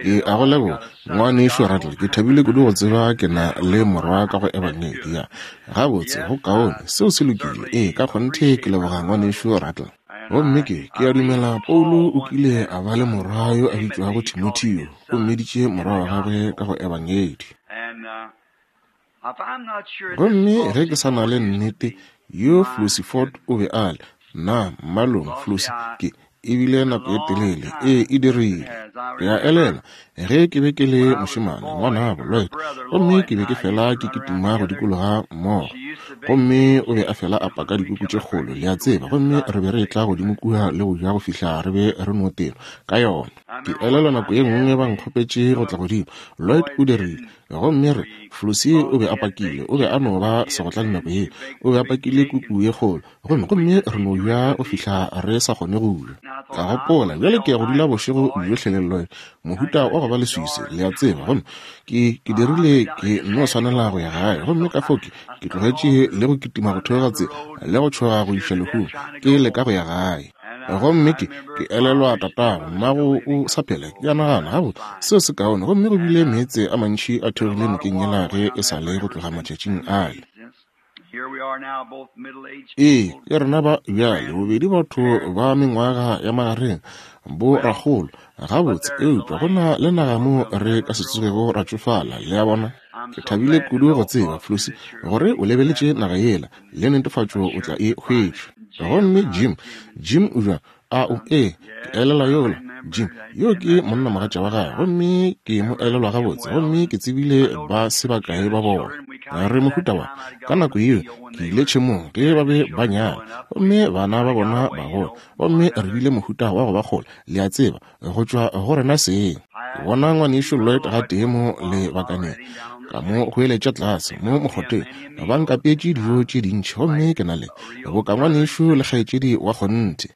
Ke a go leboga, Ngwanešu Rattle. Ke thabile kudu go tseba ke na le morwa ka go Ebangedi. Ya. Gabotse, go kaone. Seo se lokile. Ee, ka kgonthe ke leboga Ngwanešu Rattle. Gomme ke, ke a dumela Paulo o kile a ba le morwa yo a bitšwago Timotheo, o mmiditše morwa wa gagwe ka go Ebangedi. Gomme ge ke sa na le nnete, yo Flossie Ford o be a le, nna, mmalong, Flossie, ke, e bile nako e telele, ee, e dirile. Ke a elelwa ge ke be ke le mošemane, ngwanabo Lloyd, gomme ke be ke fela ke kitima go dikologa mmogo. Gomme o be a fela a paka dikuku tše kgolo, le a tseba, gomme re be re etla godimo kua le go ja go fihla re be re no tenwa ka yona. Ke elelwa nako ye nngwe ba nkgopetše go tla godimo, Lloyd o dirile, Gomme re, Flossie o be a pakile, o be a no ba segotlane nako ye, o be a pakile kuku ye kgolo, gomme, gomme re no ja go fihla re sa kgone go ja. Ka gopola, bjale ke ya go dula bošego bjohle le Lloyd, mohuta wa go ba leswiswi, le a tseba, gomme ke, ke dirile, ke nno swanela go ya gae. Gomme ka fao ke, ke tlogetše le go kitima go theoga tsela, le go tšhoga go iša lehung, ke leka go ya gae. Gomme ke, ke elelwa tatago, mmago o sa phela, ke a nagana, gabotse, seo se kaone. Gomme go bile meetse a mantši a theogile nokeng yela ge e sa le go tloga matšatšing ale. Ee, ke rena ba bjale, bobedi batho ba mengwaga ya magareng, bo rakgolo, gabotse, eupša go na le naga mo re ka se tsogego ra tšofala, le a bona. Ke thabile kudu go tseba, Flossie, gore o lebeletše naga yela, le netefatšo o tla e hwetša. Gomme Jim, Jim o bjang? A o, ee, ke elelwa yola, Jim, yo ke monnamogatša wa gagwe, gomme ke mo elelwa gabotse, gomme ke tsebile ba se bakae ba bona. Re mohuta wa, ka nako yeo, ke ile tšhemong ge ba be ba nyala, gomme bana ba bona ba gola, gomme re bile mohuta wa go ba kgole, le a tseba, go tšwa go rena seng. Ke bona ngwanešu Lloyd gatee mo lebakaneng, ka mo goeletša tlase mo mokgotheng, ba nkapeetše dijo tše dintši, gomme ke na le boka ngwanešu le kgaetšedi wa kgonthe.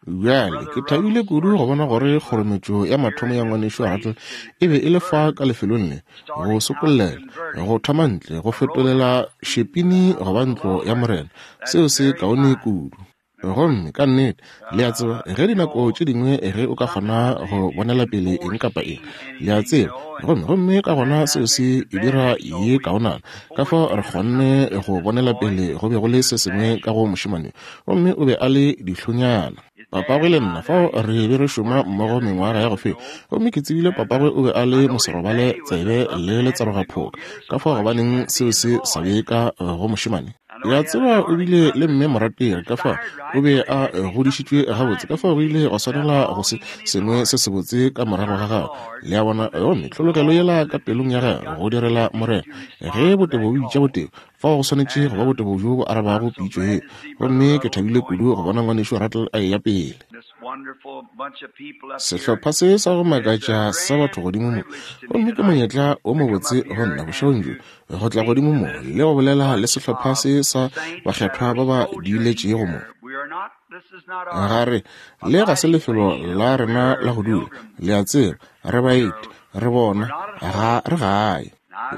Bjale, ke thabile kudu go bona gore kgorometšo ya mathomo ya ngwanešu Rattle e be e le fa ka lefelong le, go sokollela, go thoma ntle, go fetolela šepini go ba ntlo ya Morena. Seo se kaone kudu. Gomme ka nnete, le a tseba, ge dinako tše dingwe ge o ka kgona go bonela pele eng kapa eng, le a tseba, gomme, gomme ka gona seo se e dira ye kaonana. Ka fao re kgonne go bonela pele go be go le se sengwe ka go mošemane, gomme o be a le dihlonyana. Papagwe le nna fao re be re šoma mmogo mengwaga ya go feta, gomme ke tsebile papagwe o be a le moserobale tsebe le letserogaphoka. Ka fao gobaneng seo se sa be ka go mošemane? Ke a tseba o bile le mme morategi, ka fao o be a godišitšwe gabotse, ka fao go ile gwa swanela go se sengwe se sebotse ka morago ga gagwe. Le a bona? Gomme tlhologelo yela ka pelong ya gagwe go direla Morena. Ge botebo bo bitša botebo, fao go swanetše go ba botebo bjo bo arabago pitšo ye. Gomme ke thabile kudu go bona Ngwanešu Rattle a eya pele. Sehlopha se sa go makatša sa batho godimo mo, gomme ke monyetla wo mobotse go nna bošegong bjo go tla godimo mo le go bolela le sehlopha se sa bakgethwa ba ba diiletšego mo. Ga re, le ga se lefelo la rena la go dula, le a tseba, re baeti, re bona, ga re gae.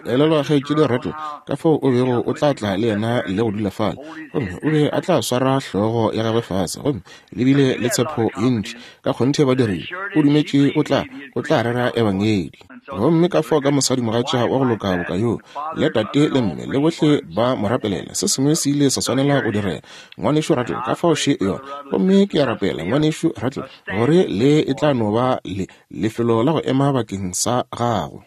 Elelwa kgaetšedi Rattle, ka fao o bego o tla tla le yena le go dula fale, gomme o be a tla swara hlogo ya gagwe fase, gomme le bile le tshepo ye ntši, ka kgonthe ba dirile, o dumetše o tla, o tla rera Ebangedi. Gomme ka fao ka mosadimogatša wa go loka boka yoo, le tate le mme, le bohle ba mo rapelela, se sengwe se ile sa swanela go direga. Ngwanešu Rattle, ka fao še yona. Gomme ke a rapela, Ngwanešu Rattle, gore le e tla no ba le, lefelo la go ema bakeng sa gago,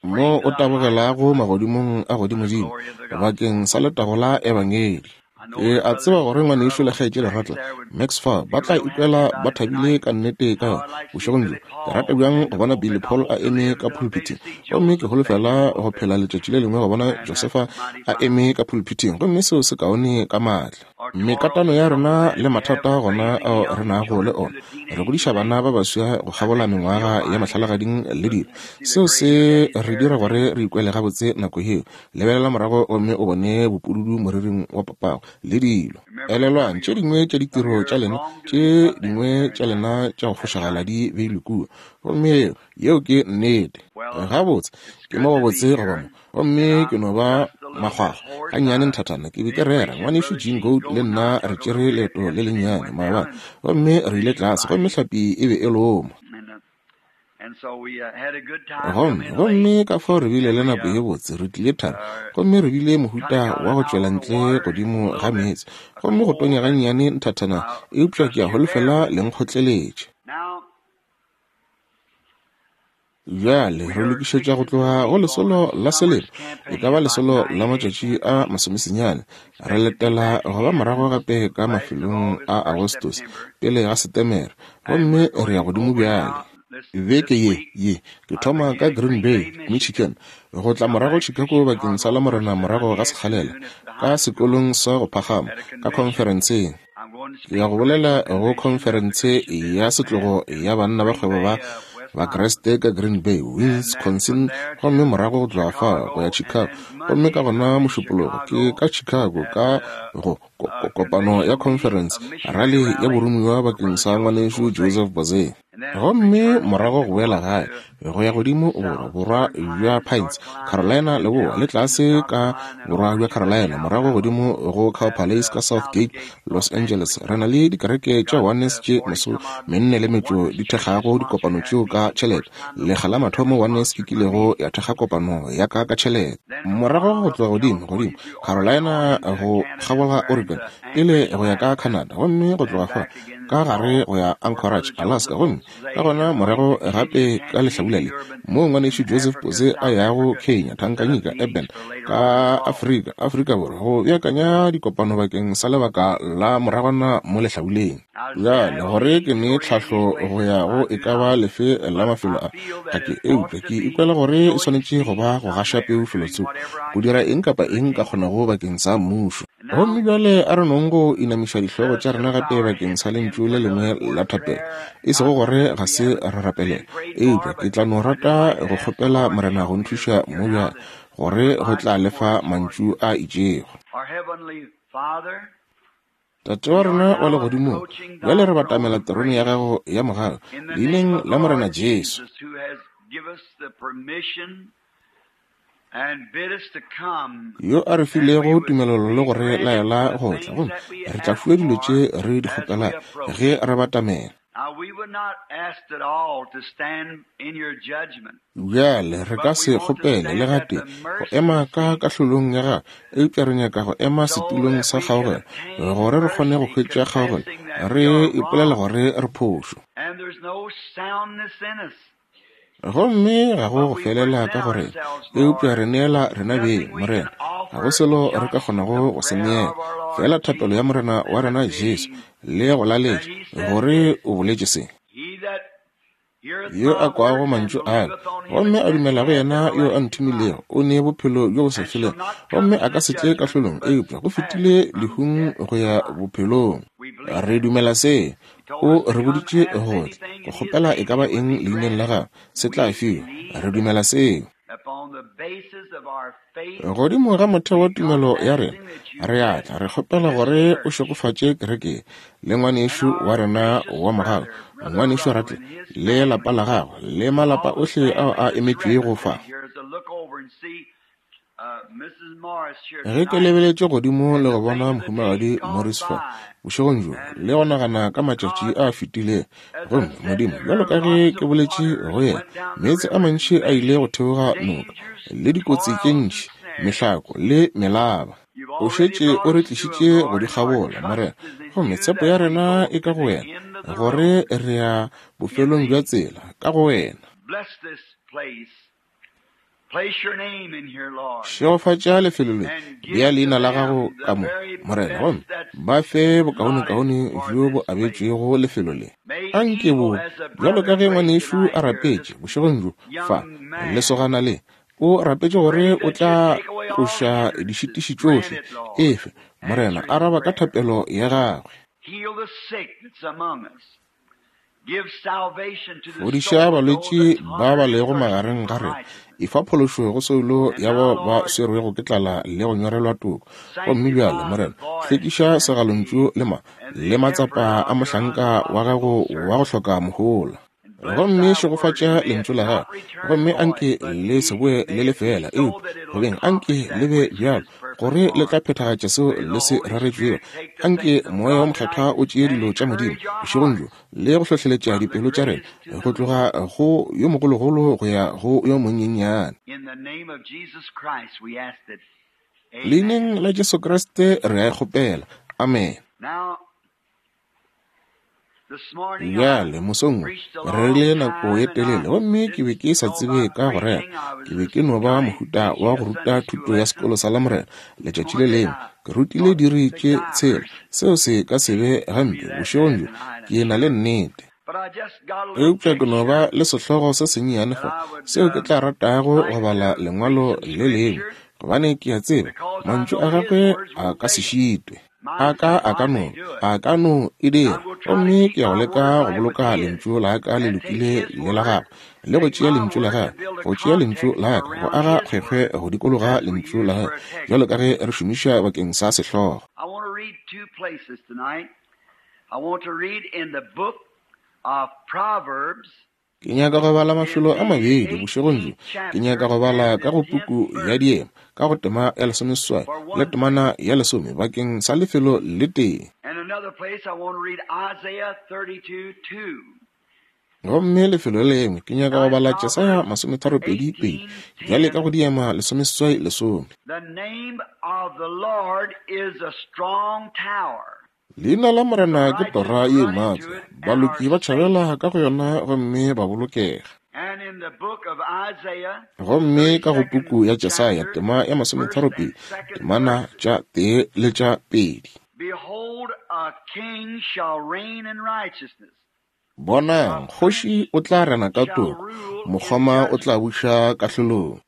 mo o tabogelago magodimong a godimodimo, bakeng sa letago la Ebangedi. Ke a tseba gore ngwanešu le kgaetšedi Rattle, Max fa, ba tla ikwela ba thabile ka nnete ka yona bošegong bjo. Ke rata bjang go bona Billy Paul a eme ka pulpithing. Gomme ke holofela go phela letšatši le lengwe go bona Josefa a eme ka pulpithing, gomme seo se kaone ka maatla. Mekatano ya rena le mathata gona ao re nago le ona, re godiša bana ba baswa go kgabola mengwaga ya mahlalagading le dilo. Seo se re dira gore re ikwele gabotse nako yeo. Lebelela morago gomme o bone bopududu moriring wa papago le dilo. Elelwang, tše dingwe tša ditiro tša lena, tše dingwe tša lena tša go fošagala di beilwe kua. Gomme yeo, yeo ke nnete. Gabotse, ke mo gobotse go ba mo. Gomme ke no ba makgwakgwa gannyane nthathana. Ke be ke rera. Ngwanešu Gene Goad le nna re tšere leeto le lennyane maabane, gomme re ile tlase, gomme hlapi e be e loma. Gomme, gomme ka fao re bile le nako ye botse, re tlile thari, gomme re bile mohuta wa go tšwela ntle godimo ga meetse, gomme go tonya gannyane nthathana, eupša ke a holofela le nkgotleletše. Bjale re lokišetša go tloga go lesolo la selemo, e ka ba lesolo la matšatši a masomesenyane. Re letela go ba morago gape ka mafelong a Agostose pele ga Setemere, gomme re ya godimo bjale. Beke ye, ye, ke thoma ka Green Bay, Michigan, go tla morago Chicago bakeng sa Lamorena morago ga sekgalela, ka sekolong sa go phagama, ka khonferenseng. Ke ya go bolela go khonferense ya setlogo ya banna ba kgwebo ba Bakriste ka Green Bay, Wisconsin, gomme morago go tloga fao go ya Chicago. Gomme ka gona Mošupologo ke ka Chicago ka go kopano ya khonferense, rali ya boromiwa bakeng sa Ngwanešu Joseph Boze. Gomme morago go boela gae, go ya godimo borwa, borwa bja Pines, Carolina leboa, le tlase ka borwa bja Carolina, morago godimo go Cow Palace ka South Gate, Los Angeles. Re na le dikereke tša Oneness tše masomenne le metšo di thekgago dikopano tšeo ka tšhelete. Lekga la mathomo Oneness e kilego ya thekga kopano ya ka ka tšhelete. Morago go tloga godimo, godimo Carolina, go kgabola Oregon, pele go ya ka Canada, gomme go tloga fa ka gare go ya Anchorage, Alaska, gomme ka gona morago gape ka lehlabula le, moo ngwanešu Joseph Pose a yago Kenya, Tanganyika, Eben, ka Afrika, Afrika Borwa, go beakanya dikopano bakeng sa lebaka la moragwana mo lehlabuleng. Bjale, gore ke ne tlhahlo go ya go e ka ba lefe la mafelo a, ga ke, eupša ke ikwela gore e swanetše go ba go gaša peu felotsoko, go dira eng kapa eng nka kgonago bakeng sa Mmušo. Gomme bjale a re nong go inamiša dihlogo tša rena gape bakeng sa lentšu le lengwe la thapelo. E sego gore ga se re rapelele, eupša ke tla no rata go kgopela Morena go nthuša mo bjale, gore go tla le fa mantšu a itšego. Tate wa rena wa Legodimong, bjale re batamela terone ya Gago ya mogau, Leineng la Morena Jesu. Yo a re filego tumelelo le go re laela go tla, gomme re tla fiwa dilo tše re di kgopelago ge re batamela. Bjale re ka se kgopele le gatee go ema ka kahlolong ya gagwe, eupša re nyaka go ema setulong sa kgaogelo gore re kgone go hwetša kgaogelo, re ipolela gore re phošo. Gomme ga go go felela ka go rena, eupša re neela rena beng, Morena. Ga go selo re ka kgonago go se neela, feela thapelo ya Morena wa rena Jesu, le go laletša, gore o boletše se. Yo a kwago mantšu a ka, gomme a dumela go yena yo a nthomilego, o ne bophelo bjo bo sa felego, gomme a ka se tle kahlolong, eupša go fetile lehung go ya bophelong. Re dumela se. O re boditše go tla, go kgopela e ka ba eng leineng la gagwe, se tla fiwa. Re dumela seo. Godimo ga motheo wa tumelo ya rena, re a tla re kgopela gore o šegofatše kereke le ngwanešu wa rena wa mogau, ngwanešu Ratle, le lapa la gagwe, le malapa ohle ao a emetšwego fa. Ge ke lebeletše godimo le go bona Mohumagadi Morris fa, bošegong bjo, le go nagana ka matšatši a fetilego, gomme, Modimo, bjalo ka ge ke boletše go yena, meetse a mantši a ile go theoga noka, le dikotsi tše ntši, mehlako le melaba. O šetše o re tlišitše go di kgabola, Morena, gomme tshepo ya rena e ka go Wena, gore re ya bofelong bja tsela, ka go Wena. Šegofatša lefelo le, bea leina la gago ka mo, Morena, gomme ba fe bokaonekaone bjo bo abetšwego lefelo le. A nke bo, bjalo ka ge ngwanešu a rapetše bošegong bjo fa, lesogana le, o rapetše gore o tla tloša dišitiši tšohle. Efe, Morena, araba ka thapelo ya gagwe. Fodiša balwetši ba ba lego magareng ga rena. Efa phološo go soulo ya bao ba swerwego ke tlala le go nyorelwa toko. Gomme bjale, Morena, hlwekiša segalontšu le ma, le matsapa a mohlanka wa Gago wa go hloka mohola. Gomme šegofatša Lentšu la Gago, gomme anke le se boe le le fela, eupša go beng anke le be bjalo, gore le tla phethagatša seo le se reretšwego. Anke Moya wo Mokgethwa o tšee dilo tša Modimo, bošegong bjo, le go hlohleletša dipelo tša rena, go tloga go yo mogologolo go ya go yo monyenyane. Leineng la Jesu Kriste re a e kgopela. Amene. Bjale, mosong wo, re rerile nako ye telele, gomme ke be ke sa tsebe ka go rera. Ke be ke no ba mohuta wa go ruta thuto ya sekolo sa Lamorena letšatši le lengwe. Ke rutile diiri tše tshela. Seo se ka se be gampe bošegong bjo, ke na le nnete. Eupša ke no ba le sehlogo se sennyane fa seo ke tla ratago go bala Lengwalo le lengwe, gobane ke a tseba mantšu a gagwe a ka se šitwe. A ka, a ka no, a ka no e dira. Gomme ke ya go leka go boloka lentšu la ka le lokile le la gagwe, le go tšea lentšu la gagwe, go tšea lentšu la ka, go aga kgwekgwe go dikologa lentšu la gagwe, bjalo ka ge re šomiša bakeng sa sehlogo. I want to read two places tonight. I want to read in the book of Proverbs. Ke nyaka go bala mafelo a mabedi bošegong bjo. Ke nyaka go bala ka go puku ya Diema, ka go tema ya lesomeseswai le temana ya lesome bakeng sa lefelo le tee. Gomme lefelo le lengwe ke nyaka go bala Jesaya masometharopedi pedi, bjale ka go Diema lesomeseswai lesome. The name of the Lord is a strong tower. Leina la Morena ke tora ye maatla, baloki ba tšhabela ka go yona gomme ba bolokega. Gomme ka go puku ya Jesaya tema ya masometharopedi, temana tša tee le tša pedi. Behold, a king shall reign in righteousness. Bonang, kgoši o tla rena ka toko, mokgoma o tla buša kahlolong.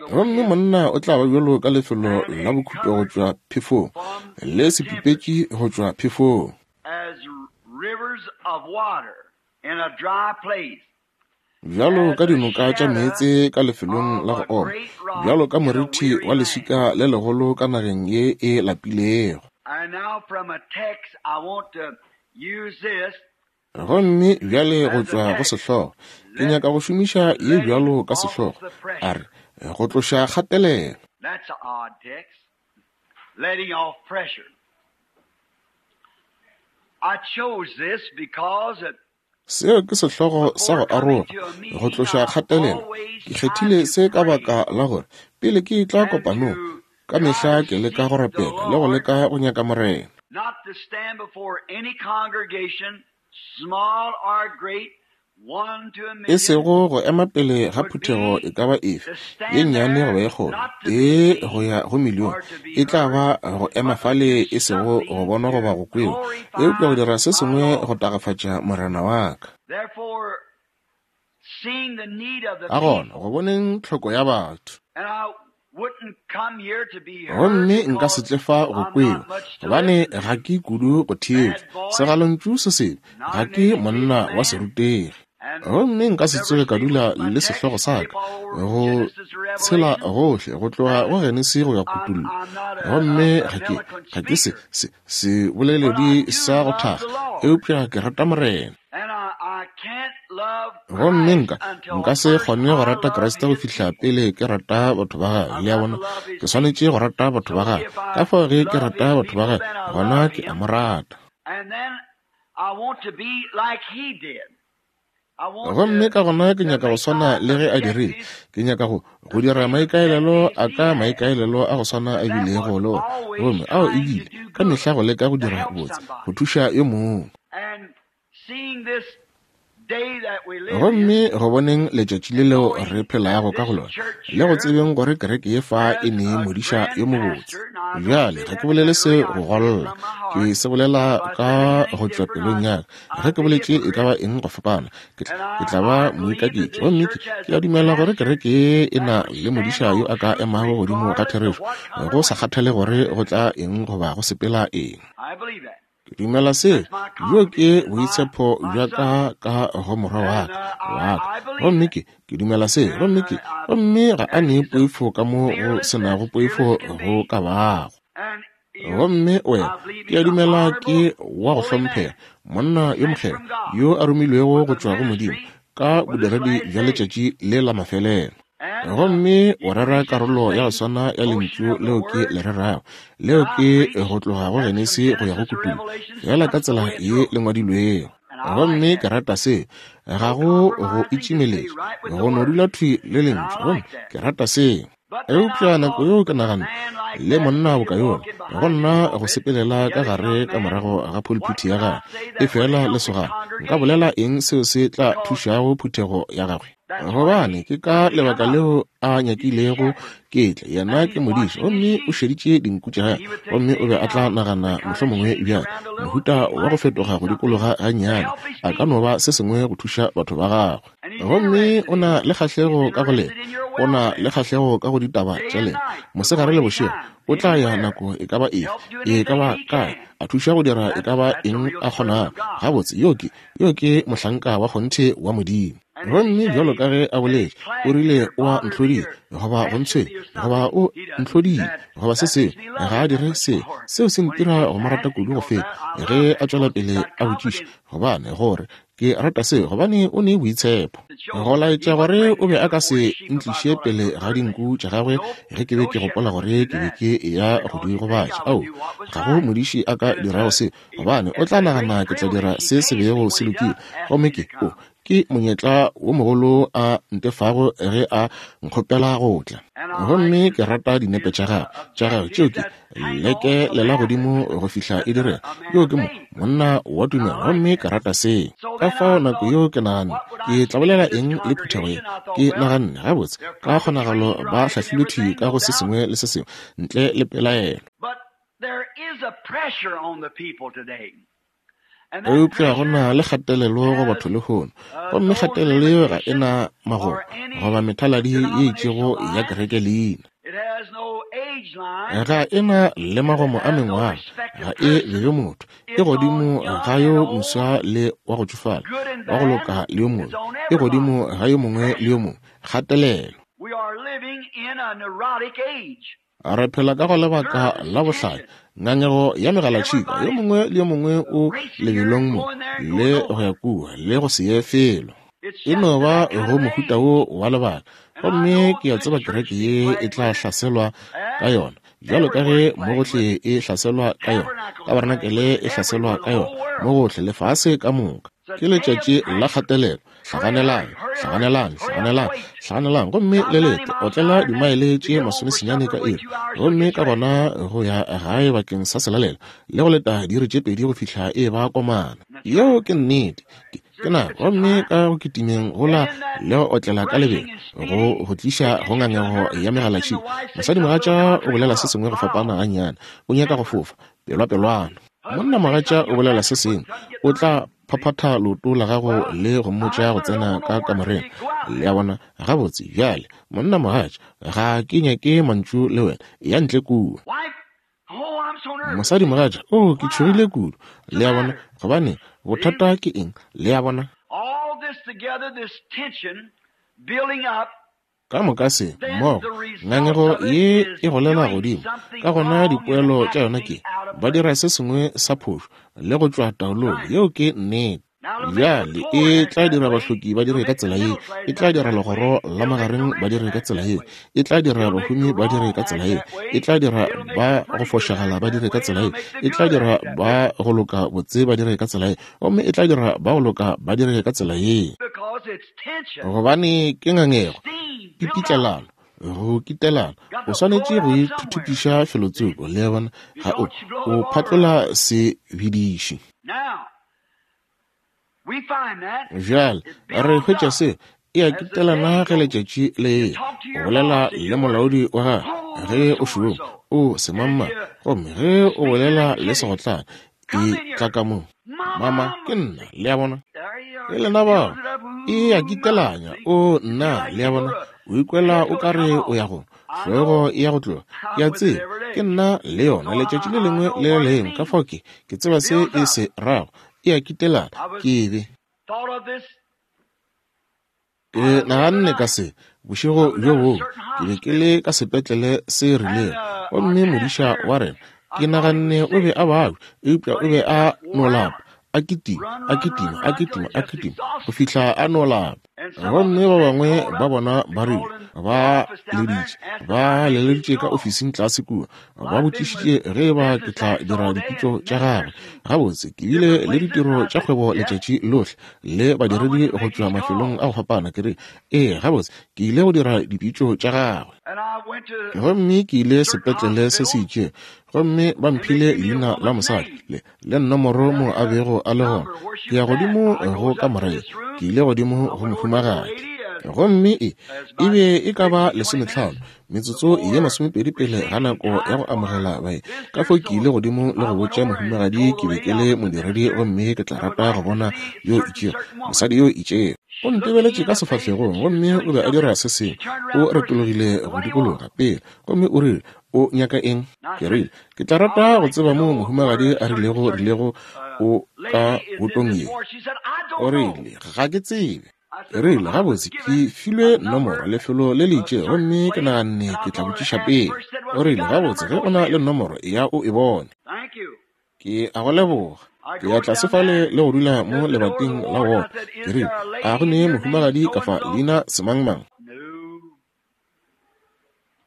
Gomme monna o tla ba bjalo ka lefelo la bokhutlo go tšwa phefong, le sepipetši go tšwa phefong. Bjalo ka dinoka tša meetse ka lefelong la go oma, bjalo ka moriti wa leswika le legolo ka nageng ye e lapilego. Gomme bjale go tšwa go sehlogo, ke nyaka go šomiša ye bjalo ka sehlogo, a re, Go tloša kgatelelo. Letting off pressure. I chose this because it Seo ke sehlogo sa go aroga, go tloša kgatelelo. Ke kgethile se ka baka la gore pele ke etla kopanong, ka mehla ke leka go rapela le go leka go nyaka Morena. Not to stand before any congregation, small or great, E sego go ema pele ga phuthego e ka ba efe, ye nnyane goba ye kgolo, tee go ya go milione, e tla ba go ema fale e sego go bonwa goba go kwewa, eupša go dira se sengwe go tagafatša Morena wa ka. Ka gona, go boneng tlhoko ya batho. Gomme nka se tle fa go kwewa, gobane ga ke kudu go theetša segalontšu se sebe, ga ke monna wa serutegi. Gomme nka se tsoge ka dula le sehlogo sa ka go tshela gohle go tloga go Genesi go ya Kutullo. Gomme ga ke, ga ke se, se, seboleledi sa go thakga, eupša ke rata Morena. Gomme nka, nka se kgone go rata Kriste go fihla pele ke rata batho ba gagwe. Le a bona? Ke swanetše go rata batho ba gagwe. Ka fao ge ke rata batho ba gagwe, gona ke a mo rata. Gomme ka gona ke nyaka go swana le ge a dirile. Ke nyaka go, go dira maikaelelo a ka maikaelelo a go swana a bilego le ona. Gomme ao e bile, ka mehla go leka go dira botse, go thuša yo mongwe. Gomme go boneng letšatši le leo re phelago ka go lona, le go tsebeng gore kereke ye fa e ne modiša yo mobotse. Bjale, ga ke bolele se go golla, ke se bolela ka go tšwa pelong ya ka. Ge ke boletše e ka ba eng go fapana, ke, ke tla ba moikaketši. Gomme ke, ke a dumela gore kereke ye e na le modiša yo a ka emago godimo ga therešo, go sa kgathale gore go tla eng goba go sepela eng. Ke dumela seo. Bjo ke boitshepo bja ka ka go morwa wa ka, wa ka. Gomme ke, ke dumela seo. Gomme ke, gomme ga a ne poifo ka mo go se nago poifo go ka bago. Gomme wena, ke a dumela ke wa go hlomphega, monna yo mokgethwa yo a romilwego go tšwa go Modimo ka bodiredi bja letšatši le la mafelelo. Gomme o rera karolo ya go swana ya Lentšu leo ke le rerago, leo ke go tloga go Genesi go ya go Kutullo, feela ka tsela ye le ngwadilwego. Gomme ke rata se, ga go go itšimeletša, go no dula thwi le Lentšu, gomme ke rata se. Eupša nako yeo ke naganne, le monna boka yola, go nna go sepelela ka gare ka morago ga phulphithi ya gagwe, efela lesogana, nka bolela eng seo se tla thušago phuthego ya gagwe? Gobane ke ka lebaka leo a nyakilego ke tle. Yena ke modiši, gomme o šeditše dinku tša gagwe, gomme o be a tla nagana mohlomongwe bjale, mohuta wa go fetoga go dikologa gannyane, a ka no ba se sengwe go thuša batho ba gagwe. Gomme o na le kgahlego ka go lena, o na le kgahlego ka go ditaba tša lena, mosegare le bošego. O tla ya nako e ka ba efe, e ka ba kae, a thuša go dira e ka ba eng a kgonago. Gabotse, yo ke, yo ke mohlanka wa kgonthe wa Modimo. Gomme bjalo ka ge a boletše, o rile o a ntlhodile, goba go ntshwenya, goba o ntlhodile, goba se sengwe, ga a dire se. Seo se ntira go mo rata kudu go feta ge a tšwela pele a botšiša, gobane gore Ke rata seo gobane o ne boitshepo. Go laetša gore o be a ka se ntliše pele ga dinku tša gagwe ge ke be ke gopola gore ke be ke eya go di gobatša. Ao, ga go modiši a ka dirago seo, gobane o tla nagana ke tla dira se se bego se lokile. Gomme ke, o, ke monyetla wo mogolo a ntefago ge a nkgopela go tla. Gomme ke rata dinepe tša gagwe, tša gagwe tšeo ke, leke lela godimo go fihla e direga. Yo ke mo, monna wa tumelo, gomme ke rata seo. Ka fao nako yeo ke naganne, ke tla bolela eng le phuthego ye? Ke naganne, gabotse, ka kgonagalo ba hlahlilwe thwi ka go se sengwe le se sengwe, ntle le pelaelo. Eupša go na le kgatelelo go batho lehono, gomme kgatelelo yeo ga e na magomo goba methaladi ye itšego ya kereke leina. Ga e na le magomo a mengwaga, ga e bebe motho, e godimo ga yo moswa le wa go tšofala, wa go loka le yo mobe, e godimo ga yo mongwe le yo mongwe. Kgatelelo. Re phela ka go lebaka la bohlanya, ngangego ya megalatšhika, yo mongwe le yo mongwe o lebelong mo le go ya kua le go se ye felo. E no ba go mohuta wo wa lebaka, gomme ke a tseba kereke ye e tla hlaselwa ka yona, bjalo ka ge mo gohle e hlaselwa ka yona, tabarenakele e hlaselwa ka yona, mo gohle lefase ka moka. Ke letšatši la kgatelelo. Hlaganelang, hlaganelang, hlaganelang, hlaganelang, gomme le lete, otlela dimaele tše masomesenyane ka iri, gomme ka gona go ya gae bakeng sa selalelo, le go leta diiri tše pedi go fihla e ba komana. Yeo ke nnete. Ke, ke nako, gomme ka go kitimeng gola le go otlela ka lebelo, go, go tliša go ngangego ya megalatšhika. Mosadimogatša o bolela se sengwe go fapana gannyane, o nyaka go fofa, pelwapelwana. Monnamogatša o bolela se sengwe, o tla phaphatha leoto la gago le go mmotša go tsena ka kamoreng. Le a bona? Gabotse, bjale, monna mogatša, ga ke nyake mantšu le wena. Ya ntle kua. Mosadi mogatša, oh, ke tšhogile kudu. Le a bona? Gobane, bothata ke eng? Le a bona? Ka moka se, mmogo, ngangego ye e golela godimo, ka gona dipoelo tša yona ke, ba dira se sengwe sa phošo le go tšwa taolong. Yeo ke nnete. Bjale e tla dira bahloki ba dire ka tsela ye, e tla dira legoro la magareng ba dire ka tsela ye, e tla dira bahumi ba dire ka tsela ye, e tla dira ba go fošagala ba dire ka tsela ye, e tla dira ba go loka botse ba dire ka tsela ye, gomme e tla dira ba go loka ba dire ka tsela ye. Gobane ke ngangego, ke pitlelano, go kitelana. O swanetše go ithuthupiša felotsoko, le a bona, ga o, o phatlola sebediši. Bjale re hwetša se e a kitelana ge letšatši le eya. O bolela le molaodi wa gagwe ge o šoma, o semangmang, gomme ge o bolela le segotlane, e tla ka mo. Mama, ke nna, le a bona. Ke lena bao. E a kitelanya. O, nna, le a bona. O ikwela o ka re o ya go, hlogo e ya go tloga. Ke a tseba, ke nna le yona letšatši le lengwe le le lengwe. Ka fao ke, ke tseba se e se rago. E a kitelana. Ke be. Ke naganne ka se, bošego bjo bongwe, ke be ke le ka sepetlele se rilego, gomme modiša wa rena Ke naganne o be a babja, eupša o be a no lapa, a kitima, a kitima, a kitima, a kitima, go fihla a no lapa. Gomme ba bangwe ba bona ba rile, ba leditše, ba leleditše ka ofising tlase kua, ba botšišitše ge e ba ke tla dira dipitšo tša gagwe. Gabotse, ke bile le ditiro tša kgwebo letšatši lohle le badiredi go tšwa mafelong a go fapana. Ke re, ee, gabotse, ke ile go dira dipitšo tša gagwe. Gomme ke ile sepetlele se se itšego, gomme ba mphile leina la mosadi le, le nomoro mo a bego a le gona. Ke ya godimo go kamora ye, ke ile godimo go mohumagadi. Gomme e, e be e ka ba lesometlhano, metsotso ye masomepedi pele ga nako ya go amogela baeng. Ka fao ke ile godimo le go botša mohumagadi ke be ke le modiredi gomme ke tla rata go bona yo itšego, mosadi yo itšego. O ntebeletše ka sefahlegong gomme o be a dira se sengwe. O retologile go dikologa pele gomme o rile, O nyaka eng? Ke rile, Ke tla rata go tseba moo mohumagadi a rilego rilego o ka botong ye. O rile, Ga ke tsebe. Ke rile, Gabotse, ke filwe nomoro, lefelo le le itšego, gomme ke naganne ke tla botšiša pele. O rile, Gabotse, ge o na le nomoro, eya o e bone. Ke a go leboga. Ke ya tlase fale le go dula mo lebating la wona. Ke rile, A go ne mohumagadi ka fa leina semangmang?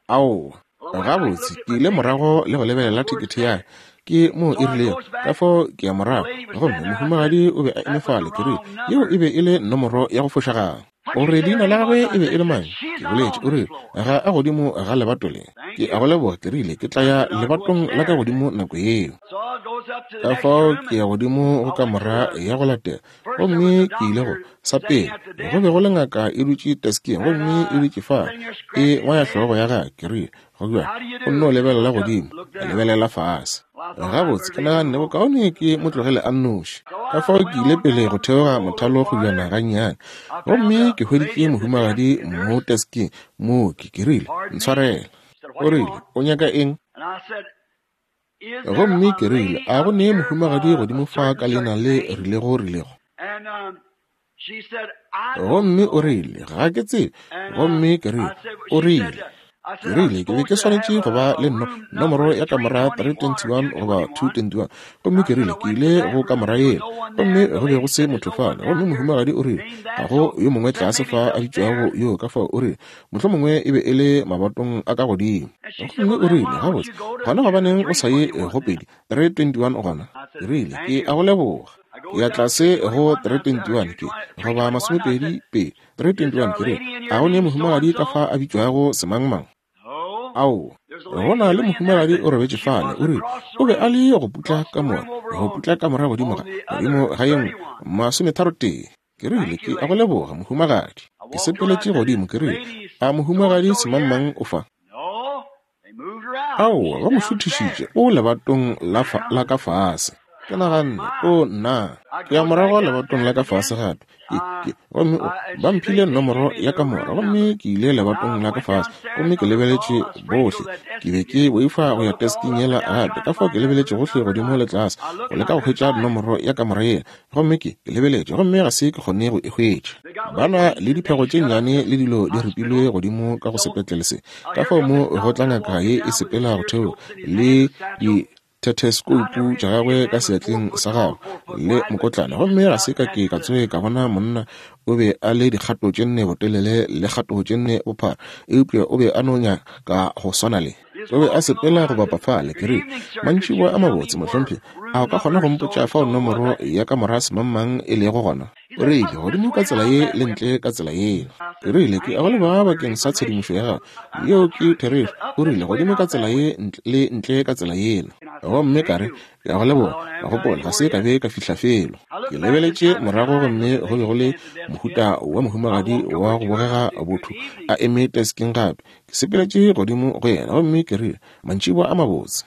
Aowa. Gabotse, ke ile morago le go lebelela thekethe ya ka. Ke moo e rilego. Ka fao ke ya morago, gomme mohumagadi o be a eme fale. Ke rile, Yeo e be e le nomoro ya go fošagala. O re leina la gagwe e be e le mang? Ke boletše. O rile, Ga a godimo ga lebato le. Ke a go leboga. Ke rile, Ke tla ya lebatong la ka godimo nako yeo. Ka fao ke ya godimo go kamora ya go latela. Gomme ke ile go, sa pele, go be go le ngaka e dutše teskeng, gomme e dutše fa, e ngwaya hlogo ya gagwe. Ke rile, Go bjang? O nno lebelela godimo, a lebelela fase. Gabotse, ke naganne bokaone ke mo tlogele a nnoši. Ka fao ke ile pele go theoga mothalo kgojana gannyane, gomme ke hweditše mohumagadi mo teskeng, mooki. Ke rile, Ntshwarele. O rile, O nyaka eng? Gomme ke rile, A go ne mohumagadi godimo fa ka leina le rilego rilego? Gomme o rile, Ga ke tsebe. Gomme ke rile, O rile, ke rile, ke be ke swanetše go ba le no, nomoro ya kamora 321 goba 221. Gomme ke rile, ke ile go kamora yela, gomme go be go se motho fale. Gomme mohumagadi o rile, Ga go yo mongwe tlase fa a bitšwago yo, ka fao o rile, Mohlomongwe e be e le mabatong a ka godimo. Gomme o rile, Gabotse, gona gobaneng o sa ye go 2, 321 gona? Ke rile, Ke a go leboga. Ke ya tlase go 321, ke, goba masomepedi pedi, 321, ke rile, A go ne mohumagadi ka fa a bitšwago semangmang? Aowa. Go na le mohumagadi o robetše fale, o rile, o be a le go putla kamora, go putla kamora godimo ga, godimo ga ye nngwe, masometharotee. Ke rile, Ke a go leboga, mohumagadi. Ke sepeletše godimo, ke rile, A mohumagadi semangmang o fa? Aowa, ba mo šuthišitše, o lebatong la, fa, la ka fase. Ke naganne, O nna! Ke ya morago lebatong la ka fase gape. Ke, ke, gomme o, ba mphile nomoro ya kamora, gomme ke ile lebatong la ka fase, gomme ke lebeletše bohle. Ke be ke boifa go ya tesking yela gape, ka fao ke lebeletše gohle godimo le tlase, go leka go hwetša nomoro ya kamora yela. Gomme ke, ke lebeletše, gomme ga se ke kgone go e hwetša. Ba na le diphego tše nnyane le dilo di ripilwe godimo ka go sepetlele se. Ka fao mo go tla ngaka ye e sepela go theoga, le dithetheskoupu tša gagwe ka seatleng sa gagwe, le mokotlana. Gomme ga se ka ke ka tsoge ka bona monna, o be a le dikgato tše nne botelele le kgato tše nne bophara, eupša o be a no nyaka go swana le. O be a sepela go bapa fale. Ke rile, Mantšiboa a mabotse, mohlomphegi. A o ka kgona go mpotša fao nomoro ya kamora semangmang e lego gona? O rile, Godimo ka tsela ye le ntle ka tsela yela. Ke rile, Ke a go leboga bakeng sa tshedimošo ya gago. Yeo ke therešo. O rile, Godimo ka tsela ye le ntle ka tsela yela. Gomme ka re, Ke a go leboga. Ka gopola, ga se ka be ka fihla felo. Ke lebeletše morago gomme go be go le mohuta wa mohumagadi wa go bogega botho a eme teskeng gape. Ke sepeletše godimo go yena gomme ke rile, Mantšiboa a mabotse.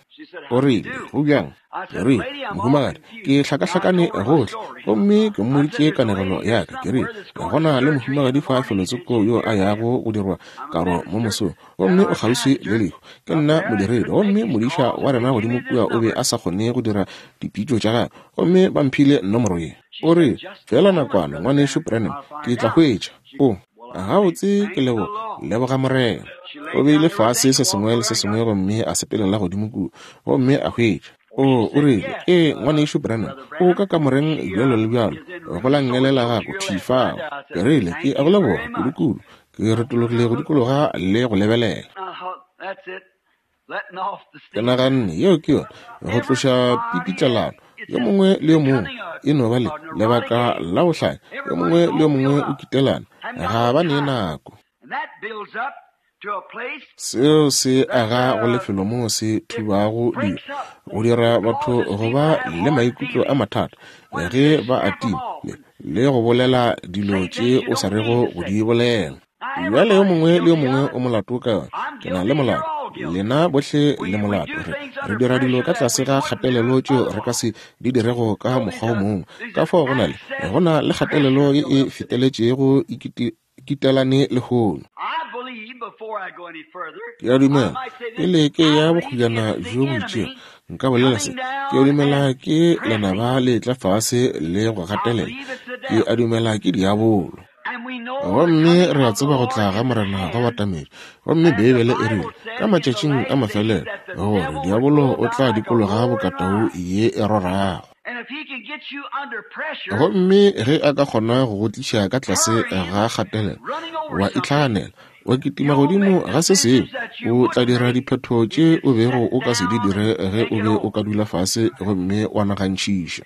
O rile, Go bjang? Ke rile, Mohumagadi, ke hlakahlakane gohle. Gomme ke mmoditše kanegelo ya ka. Ke rile, Go na le mohumagadi fa felotsoko yo a yago go dirwa karo mo mosong, gomme o kgauswi le lehu. Ke nna modiredi, gomme modiša wa rena godimo kua o be a sa kgone go dira dipitšo tša gagwe, gomme ba mphile nomoro ye. O rile, Feela nakwana, Ngwanešu Branham, ke tla hwetša. O. Gabotse, ke leboga, leboga Morena. O beile fase se sengwe le se sengwe gomme a sepelela godimo kua, gomme a hwetša. O, o rile, Ee, Ngwanešu Branham, o ka kamoreng bjalo le bjalo, go la nngele la gago, thwi fao. Ke rile, Ke a go leboga, kudukudu. Ke retologile go dikologa le go lebelela. Ke naganne, Yeo ke yona, go tloša pipitlelano. Yo mongwe le yo mongwe e no ba le lebaka la go hlanya, yo mongwe le yo mongwe o kitelana, ga ba ne nako. Seo se aga go lefelo moo se thubago dilo, go dira batho go ba le maikutlo a mathata ge ba a tima le, le go bolela dilo tše o sa rego go di bolela. Bjale yo mongwe le yo mongwe o molato ka yona. Ke na le molato, lena bohle le molato. Re, re dira dilo ka tlase ga kgatelelo tšeo re ka se di dirego ka mokgwa o mongwe. Ka fao go na le, go na le kgatelelo ye e feteletšego e kitelane lehono. Ke a dumela, pele ke ya bokgojana bjo bo itšego, nka bolela se, ke a dumela ke lenaba le tla fase le go gatelela. Ke a dumela ke diabolo. Gomme re a tseba go tla ga Morena go batametše. Gomme Beibele e rile, ka matšatšing a mafelelo, gore diabolo o tla dikologa bokatau ye e rorago. Gomme ge a ka kgona go go tliša ka tlase ga kgatelelo, wa itlhaganela, wa kitima godimo ga se sengwe, o tla dira diphetho tše o bego o ka se di dire ge o be o ka dula fase gomme wa nagantšhiša.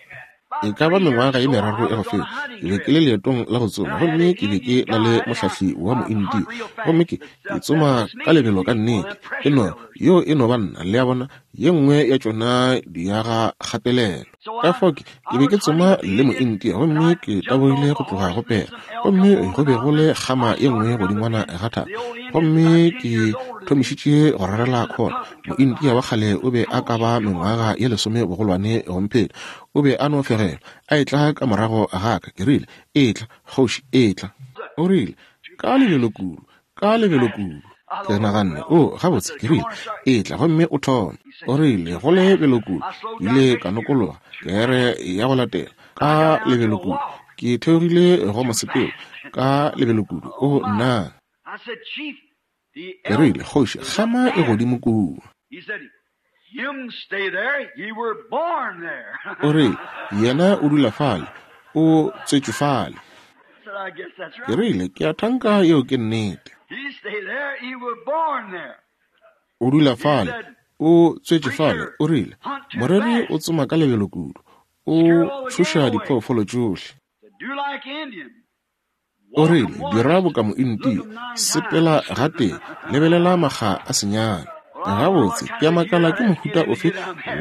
E ka ba mengwaga ye meraro ya go feta, ke be ke le leetong la go tsoma, gomme ke be ke na le mohlahli wa Moindia. Gomme ke, ke tsoma ka lebelo ka nnete. E no, yeo e no ba nna, le a bona, ye nngwe ya tšona diaga kgatelelo. Ka fao ke, ke be ke tsoma le Moindia, gomme ke taboile go tloga go pere, gomme go be go le kgama ye nngwe godingwana ga thaba, gomme ke thomišitše go rarela khona. Moindia wa kgale o be a ka ba mengwaga ye lesome bogolwane go mpheta. O be a no fegelwa, a etla ka morago ga ka. Ke rile, Etla, kgoši, etla. O rile, Ka lebelo kudu, ka lebelo kudu. Ke naganne, O, gabotse, ke rile, etla gomme o thome. O rile, Go lebelo kudu. Ke ile ka nokologa, kere ya go latela, ka lebelo kudu. Ke theogile go mosepelo, ka lebelo kudu. O, nna! Ke rile, Kgoši, kgama e godimo kua. O rile, Yena o dula fale, o tswetšwe fale. Ke rile, Ke a thanka yeo ke nnete. O dula fale, o tswetšwe fale. O rile, Moreri o tsoma ka lebelo kudu, o tšhoša diphoofolo tšohle. O rile, Dira boka Moindia, sepela gatee, lebelela makga a senyane. Gabotse, ke a makala ke mohuta ofe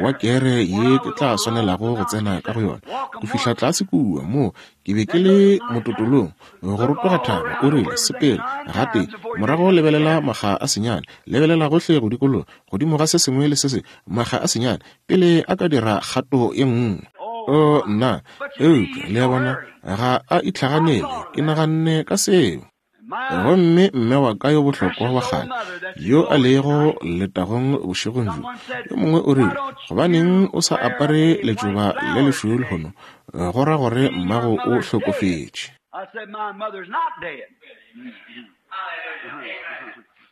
wa kere ye ke tla swanelago go tsena ka go yona. Go fihla tlase kua, moo ke be ke le mototolong, go rotoga thaba, o rile, sepela gatee, morago lebelela makga a senyane, lebelela gohle go dikologa, godimo ga se sengwe le se sengwe, makga a senyane, pele a ka dira kgato ye nngwe. O, nna, eupša, le a bona, ga a itlhaganele. Ke naganne ka seo. Gomme mme wa ka yo bohlokwa wa kgale, yo a lego letagong bošegong bjo, yo mongwe o rile, Gobaneng o sa apare letšoba le lešweu lehono? Go ra gore mmago o hlokofetše.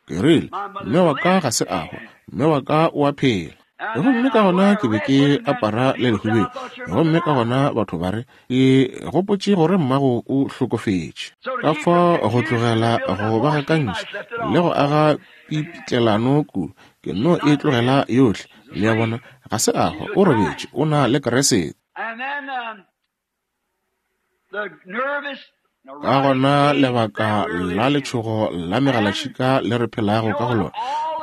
Ke rile, Mme wa ka ga se a hwa, mme wa ka o a phela. Gomme ka gona ke be ke apara le lehubedu, gomme ka gona batho ba re, Ke gopotše gore mmago o hlokofetše. Ka fao go tlogela go ba gakantšha le go aga pipitlelano kudu, ke nno e tlogela yohle. Le a bona, ga se a hwa, o robetše, o na le Kriste. Ka gona lebaka la letšhogo la megalatšhika le re phelago ka go lona,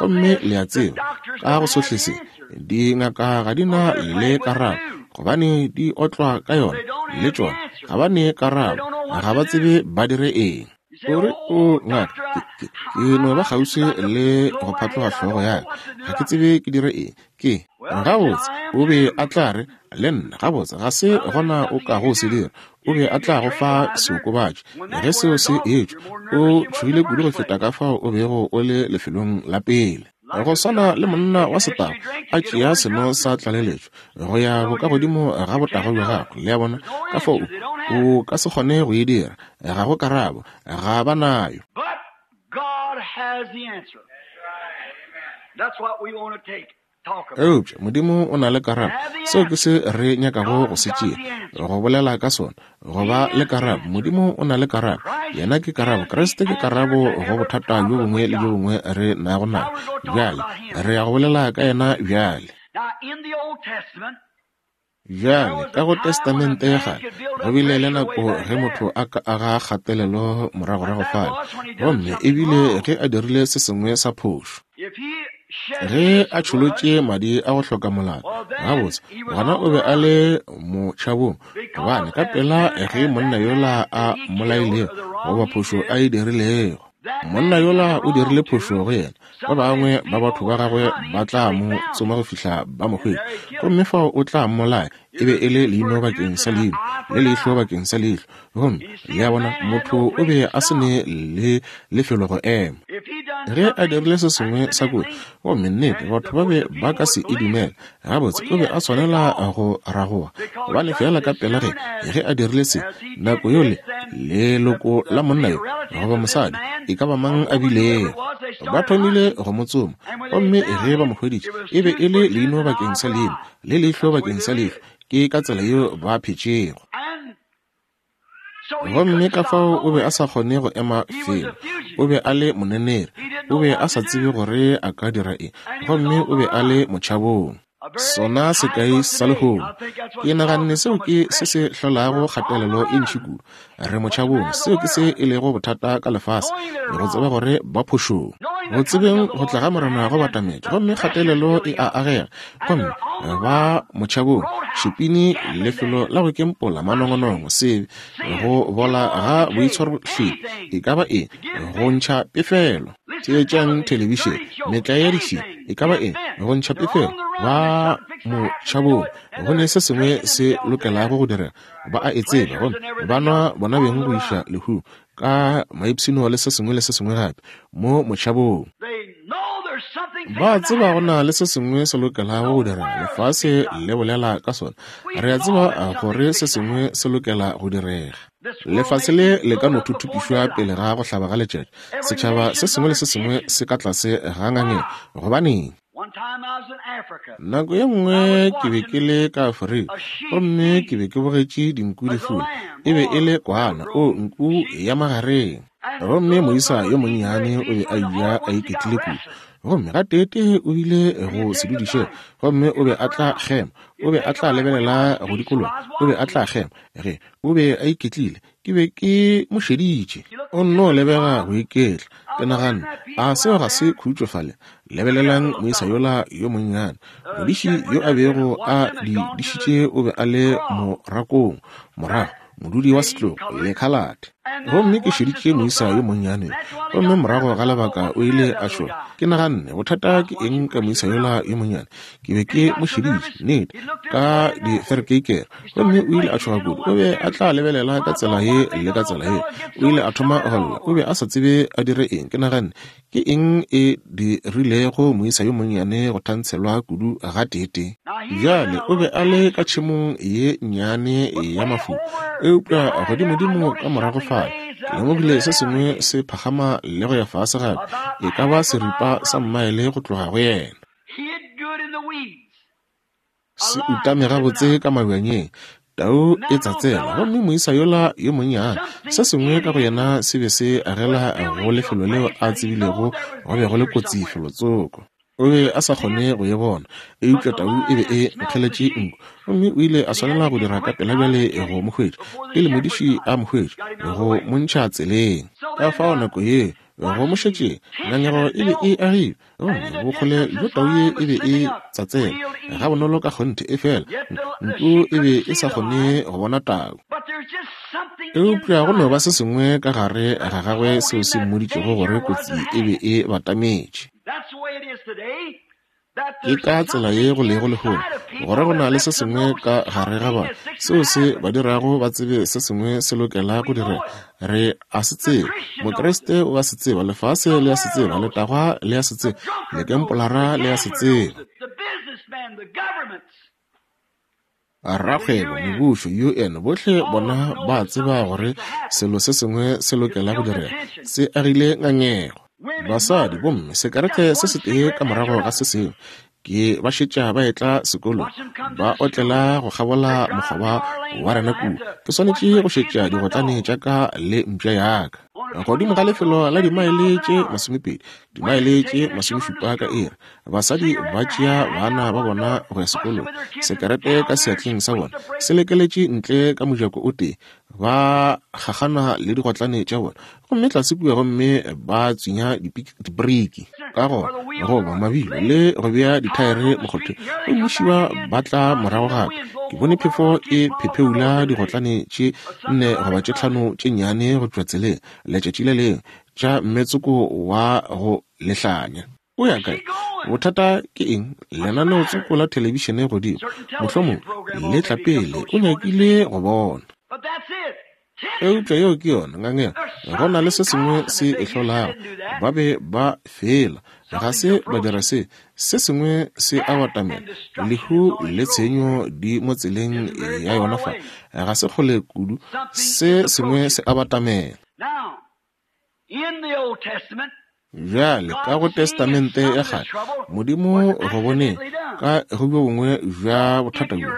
gomme le a tseba, ka go sohle se, dingaka ga di na le karabo, gobane di otlwa ka yona, le tšona, ga ba ne karabo, ga ba tsebe ba dire eng. O re, O ngaka, ke, ke, ke no ba kgauswi le go phatloga hlogo ya ka. Ga ke tsebe ke dire eng. Ke, gabotse, o be a tla re, le nna, gabotse, ga se gona o kago se dira. O be a tla go fa seokobatši. Ge seo se etšwa, o tšhogile kudu go feta ka fao o bego o le lefelong la pele. Go swana le monna wa setago a tšea seno sa tlaleletšo go ya bokagodimo ga botago bja gagwe, le a bona, ka fao o ka se kgone go e dira. Ga go karabo, ga ba nayo. Eupša Modimo o na le karabo. Seo ke se re nyakago go se tšea, go bolela ka sona, go ba le karabo. Modimo o na le karabo. Yena ke karabo. Kriste ke karabo go bothata bjo bongwe le bjo bongwe re nago nabo. Bjale, re ya go bolela ka yena bjale. Bjale, ka go Testamente ya Kgale, go bile le nako ge motho a ka aga kgatelelo moragorago fale, gomme e bile ge a dirile se sengwe sa phošo. Ge a tšholotše madi a go hloka molato, gabotse, gona o be a le motšhabong, gobane ka pela ge monna yola a mmolailego, goba phošo a e dirilego, monna yola o dirile phošo go yena, ba bangwe ba batho ba gagwe ba tla mo tsoma go fihla ba mo hwetša, gomme fao o tla mmolaya. E be e le leino bakeng sa leino, le leihlo bakeng sa leihlo. Gomme, le a bona, motho o be a se ne le lefelo go ema. Ge a dirile se sengwe sa kotsi, gomme nnete batho ba be ba ka se e dumele, gabotse o be a swanela go ragoga, gobane feela ka pela ge, ge a dirile se, nako yole leloko la monna yo goba mosadi, e ka ba mang a bilego, ba thomile go mo tsoma, gomme ge ba mo hweditše, e be e le leino bakeng sa leino, le leihlo bakeng sa leihlo. Ke ka tsela yeo ba phetšego. Gomme ka fao o be a sa kgone go ema felo. O be a le moneneri. O be a sa tsebe gore a ka dira eng. Gomme o be a le motšhabong. Sona sekai sa lehono. Ke naganne seo ke se se hlolago kgatelelo e ntši kudu. Re motšhabong. Seo ke se e lego bothata ka lefase, go tseba gore ba phošong. Go tsebeng go tla ga Morena go batametše, gomme kgatelelo e a agega. Gomme ba motšhabong, šipini, lefelo la go kempola, manongonongo, sebe, go bola ga boitshwarohlephi, e ka ba eng, go ntšha pefelo. Theetšang thelebišene, metlae ya dišie, e ka ba eng, go ntšha pefelo. Ba motšhabong, go ne se sengwe se lokelago go direga. Ba a e tseba, gomme ba nwa bona beng go iša lehung, ka maipshino le se sengwe le se sengwe gape, mo motšhabong. Ba tseba go na le se sengwe se lokelago go direga, lefase le bolela ka sona. Re a tseba gore se sengwe se lokela go direga. Lefase le le ka no thuthupišwa pele ga go hlaba ga letšatši. Setšhaba se sengwe le se sengwe se ka tlase ga ngangeng. Gobaneng? Nako ye nngwe ke be ke le ka Afrika gomme ke be ke bogetše dinku di fula. E be e le kwana, o nku ya magareng. Gomme moisa yo monnyane o be a eja a iketlile kudu. Gomme gateetee o ile go sedudišego, gomme o be a tla kgema, o be a tla lebelela go dikologa, o be a tla kgema. Ge o be a iketlile, ke be ke mo šeditše. O nno lebega go iketla. Ke naganne, A seo ga se khutšo fale? Lebelelang moisa yola yo monnyane. Modiši yo a bego a di dišitše o be a le morakong, morago, modudi wa setlogo, lekhalate. Gomme ke šeditše moisa yo monnyane yo, gomme morago ga lebaka o ile a šola. Ke naganne, Bothata ke eng ka moisa yola yo monnyane? Ke be ke mo šeditše, nnete, ka diferekeikere. Gomme o ile a tšhoga kudu. O be a tla lebelela ka tsela ye le ka tsela ye. O ile a thoma go lla. O be a sa tsebe a dire eng. Ke naganne, Ke eng e dirilego moisa yo monnyane go thantshelwa kudu gateetee? Bjale, o be a le ka tšhemong ye nnyane ya mafulo, eupša godimodimo ka morago fale, ke lemogile se sengwe se phagama le go ya fase gape, e ka ba seripa sa mmaele go tloga go yena. Se utame gabotse ka mabjanyeng. Tau e tsatsela, gomme moisa yola yo monnyane, se sengwe ka go yena se be se agela go lefelo leo a tsebilego go be go le kotsi felotsoko. O be a sa kgone go e bona, eupša tau e be e nkgeletše nku, gomme o ile a swanela go dira ka pela bjale go mo hwetša, pele modiši a mo hwetša, go mo ntšha tseleng. Ka fao nako ye go mo šetšeng, ngangego e be e agile, Gomme bokgole bjo tau ye e be e tsatsela gabonolo ka kgonthe, efela nku e be e sa kgone go bona tau. Eupša go no ba se sengwe ka gare ga gagwe seo se mmoditšego gore kotsi e be e batametše. Ke ka tsela ye go lego lehono, gore go na le se sengwe ka gare ga batho seo se ba dirago ba tsebe se sengwe se lokela go direga. Re a se tseba. Mokriste o a se tseba. Lefase le a se tseba. Letagwa le a se tseba. Lekempolara le a se tseba. Rakgwebo, mebušo, UN, bohle bona ba a tseba gore selo se sengwe se lokela go direga. Se agile ngangego. Basadi, bomme, sekerete se setee ka morago ga se sengwe. Ke ba šetša ba etla sekolong, ba otlela go kgabola mokgoba wa rena kua. Ke swanetše go šetša digotlane tša ka le mpša ya ka. Godimo ga lefelo la dimaele tše 20, dimaele tše 70 ka iri, basadi ba tšea bana ba bona go ya sekolong, sekerete ka seatleng sa bona se lekeletše ntle ka mojako o tee, ba gagana le digotlane tša bona gomme tlase kua gomme ba tswinya dibriki ka gona goba mabilo le go bea dithaere mokgotheng, gomme šiba ba tla morago gape. Ke bone phefo e phepheula digotlane tše 4 goba tše 5 tše nnyane go tšwa tseleng letšatši le lengwe, tša mmetsoko wa go lehlanya. O ya kae? Bothata ke eng? Lenaneotsoko la thelebišene godimo, mohlomongwe le tla pele, o nyakile go bona. Eupša yeo ke yona ngangego. Go na le se sengwe se e hlolago. Ba be ba fela ga se ba dira se. Se sengwe se a batamela. Lehu le tshenyo di mo tseleng ya yona fa. Ga se kgole kudu. Se sengwe se a batamela. Bjale, ka go Testamente ya Kgale, Modimo go boneng ka go bjo bongwe bja bothata bjo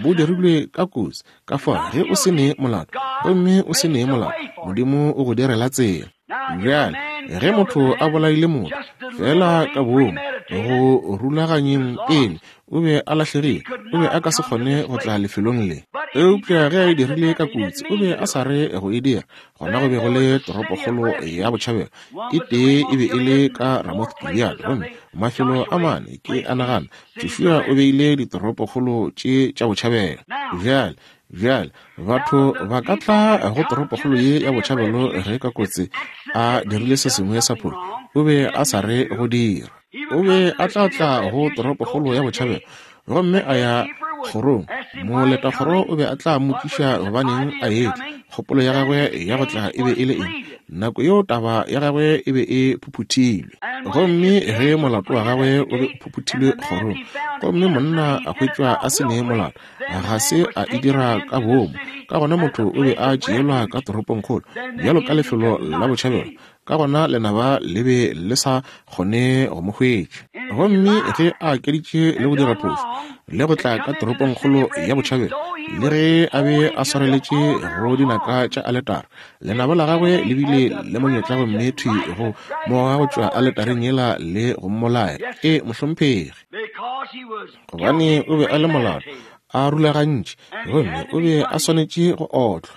bo dirilwe ka kotsi, ka fao ge o se ne molato, gomme o se ne molato, Modimo o go direla tsela. Bjale, ge motho a bolaile motho, feela ka boomo, go rulaganyeng pele, o be a lahlegile, o be a ka se kgone go tla lefelong le. Eupša ge a e dirile ka kotsi, o be a sa re go e dira. Gona go be go le toropokgolo ya botšhabelo, e tee e be e le ka Ramoth Gilead, gomme mafelo a mane, ke a nagana, Joshua o beile ditoropokgolo tše tša botšhabelo. Bjale, bjale, batho ba ka tla go toropokgolo ye ya botšhabelo ge ka kotsi a dirile se sengwe sa phošo, o be a sa re go dira. O be a tla tla go toropokgolo ya botšhabelo gomme a ya kgorong. Moletakgoro o be a tla mmotšiša gobaneng a etla, kgopolo ya gagwe ya go tla e be e le eng. Nako yeo taba ya gagwe e be e phuphuthilwe. Gomme ge molato wa gagwe o be o phuphuthilwe kgorong, gomme monna a hwetšwa a se ne molato, ga se a e dira ka boomo, ka gona motho o be a tšeelwa ka toropongkgolo bjalo ka lefelo la botšhabelo. Ka gona lenaba le be le sa kgone go mo hwetša. Gomme ge a akeditše le go dira phošo le go tla ka toropongkgolo ya botšhabelo, le ge a be a swareletše go dinaka tša aletara, lenaba la gagwe le bile le monyetla gomme thwi go mo goga go tšwa aletareng yela le go mmolaya. E, mohlomphegi. Gobane o be a le molato, a rulagantše, gomme o be a swanetše go otlwa.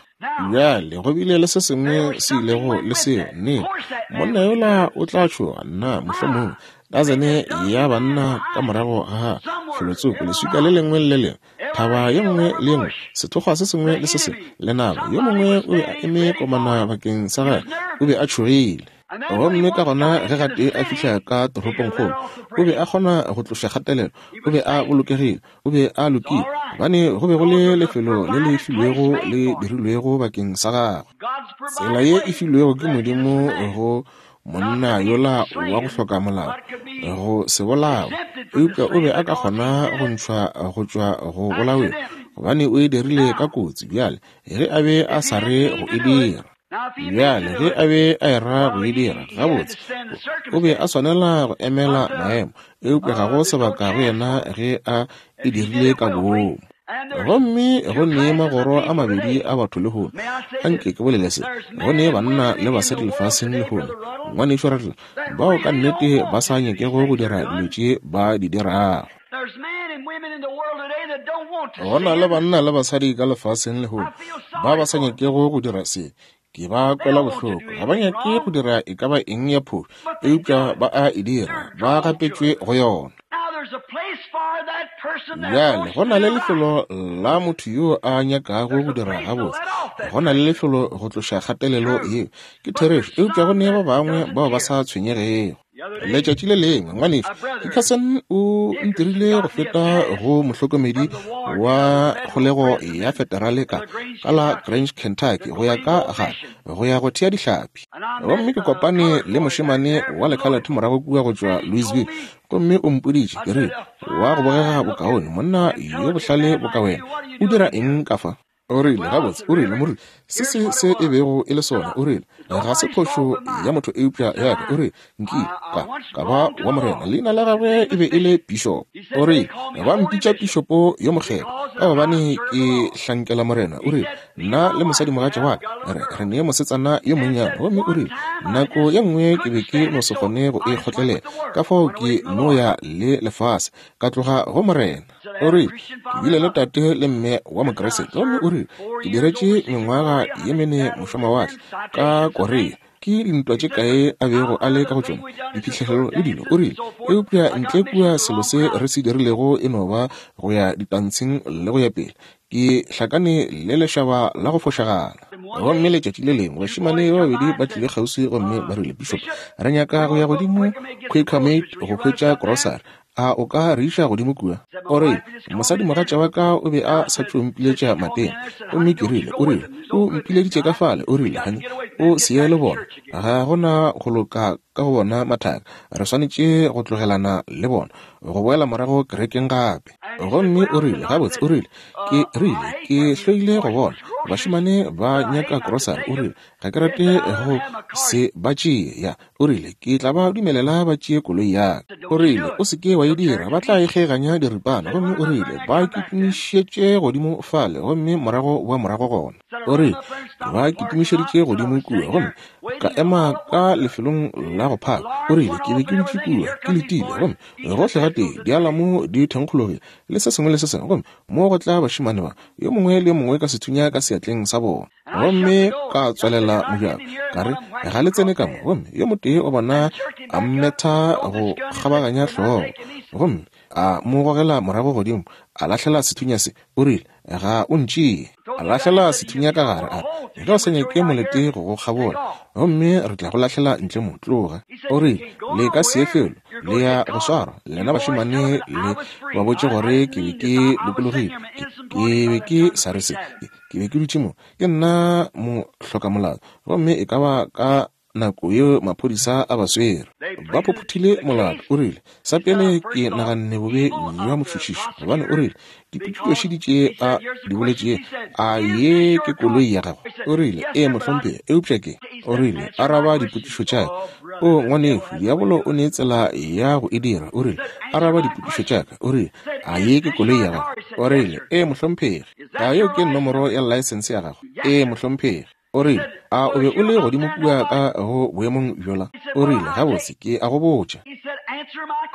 Bjale go bile le se sengwe se ilego le seo. Nnete, monna yola o tla tšhoga, nna, mohlomongwe dazene ya banna ka morago ga felotsoko, leswika le lengwe le le lengwe, thaba ye nngwe le ye nngwe, sethokgwa se sengwe le se sengwe, lenaba. Yo mongwe o be a eme komana bakeng sa gagwe, o be a tšhogile. Gomme ka gona ge gatee a fihla ka toropongkgolo, o be a kgona go tloša kgatelelo, o be a bolokegile, o be a lokile, gobane go be go le lefelo le le filwego le dirilwego bakeng sa gagwe. Tsela ye e filwego ke Modimo go monna yola wa go hloka molao go se bolawe, eupša o be a ka kgona go ntšhwa go tšwa go bolaweng, gobane o e dirile ka kotsi. Bjale, ge a be a sa re go e dira, Bjale ge a be a era go e dira, gabotse, o be a swanela go emela maemo, eupša ga go sebaka go yena ge a e dirile ka boomo. Gomme go ne magoro a mabedi a batho lehono. Anke ke bolele se. Go ne banna le basadi lefaseng lehono, Ngwanešu Rattler, bao ka nnete ba sa nyakego go dira dilo tše ba di dirago. Go na le banna le basadi ka lefaseng lehono ba ba sa nyakego go dira se. Ke ba kwela bohloko. Ga ba nyake go dira e ka ba eng ya phošo, eupša ba a e dira. Ba gapetšwe go yona. Bjale, go na le lefelo la motho yo a nyakago go dira gabotse. Go na le lefelo go tloša kgatelelo yeo. Ke therešo, eupša go ne ba bangwe bao ba sa tshwenyegego. Letšatši le lengwe, ngwanešu Dickerson o ntirile go feta go mohlokomedi wa kgolego ya federale ka ka la Grange, Kentucky, go ya ka gare go ya go thea dihlapi. Gomme ke kopane le mošemane wa lekhalathe morago kua go tšwa Louisville, gomme o mpoditše, ke rile, Wa go bogega bokaone, monna yo bohlale boka wena, o dira eng ka fa? O rile, Gabotse, o rile, moruti, se se se e bego e le sona. O rile, Ga se phošo ya motho eupša ya ka. O rile, Nkile ka, ka ba wa Morena. Leina la gagwe e be e le Bishop. O rile, Ba mpitša Pišopo yo Mokgethwa, ka gobane ke hlankela Morena. O rile, Nna le mosadimogatša wa ka re, re ne mosetsana yo monnyane. Gomme o rile, Nako ye nngwe ke be ke no se kgone go e kgotlelela, ka fao ke no ya le lefase, ka tloga go Morena. O rile, Ke bile le tate le mme wa Mokriste. Gomme o rile, Ke diretše mengwaga ye mene mošwamawatle ka Korea. Ke dintwa tše kae a bego a le ka go tšona, diphihlelelo le dilo. O rile, Eupša ntle kua selo se re se dirilego e no ba go ya ditantsheng le go ya pele. Ke hlakane le lešaba la go fošagala. Gomme letšatši le lengwe bašemane ba babedi ba tlile kgauswi gomme ba rile, Bishop, re nyaka go ya godimo Quaker Maid go hwetša grocery. A o ka re iša godimo kua? O rile, Mosadimogatša wa ka o be a sa tšo mpiletša mateng. Gomme ke rile, o rile, O mpileditše ka fale. O rile, Honey, o se ye le bona. Ga go na go loka ka go bona mathaka. Re swanetše go tlogelana le bona, go boela morago kerekeng gape. Gomme o rile, Gabotse, o rile, ke rile, ke hloile go bona bašemane ba nyaka krosari. O rile, Ga ke rate go se ba tšee. Ya, o rile, ke tla ba dumelela ba tšee koloi ya ka. O rile, O se ke wa e dira, ba tla e kgeganya diripana. Gomme o rile, Ba kitimišetše godimo fale, gomme morago boa morago gona. O rile, Ke ba kitimišeditše godimo kua, gomme ka ema ka lefelong la go phaka. O rile, Ke be ke dutše kua, ke letile, gomme gohle gatee dialamo di thenkgologile, le se sengwe le se sengwe, gomme mo go tla bašemane ba, yo mongwe le yo mongwe ka sethunya ka seatleng sa bona. Gomme ka tswalela mojako, ka re, Ga le tsene ka mo. Gomme yo motee wa bona a mmetha go kgabaganya hlogo, gomme a mo gogela morago godimo, a lahlela sethunya se. O rile, Ga o ntšee. A lahlela sethunya ka gare, a re, Ge o sa nyake molete go go kgabola, gomme re tla go lahlela ntle mo. Tloga. O rile, Le ka se ye felo. Le ya go swarwa. Lena bašemane le ba botše gore ke be ke lokologile. Ke, ke be ke sa re se. Ke, ke be ke dutše mo. Ke nna mohlokamolato. Gomme e ka ba ka nako yeo maphodisa a ba swere. Ba phophothile molato. O rile, Sa pele ke naganne bobe bja motšhotšhiši, gobane o rile, Dipotšišo tše a di boletšego, a ye ke koloi ya gago? O rile, Ee, mohlomphegi, eupša ke. O rile, Araba dipotšišo tša ka. O, ngwanešu, diabolo o ne tsela ya go e dira. O rile, Araba dipotšišo tša ka. O rile, A ye ke koloi ya gago? O rile, Ee, mohlomphegi. A yeo ke nomoro ya laesense ya gago? Ee, mohlomphegi. O rile, A o be o le godimo kua ka go boemong bjola? O rile, Gabotse, ke a go botša.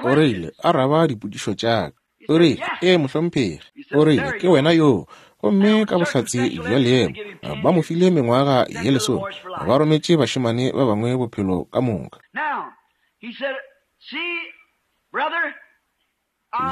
O rile, Araba dipotšišo tša ka. O rile, Ee, mohlomphegi. O rile, Ke wena yoo. Gomme ka bohlatse bja leemo, ba mo file mengwaga ye lesome, ba rometše bašemane ba bangwe bophelo ka moka.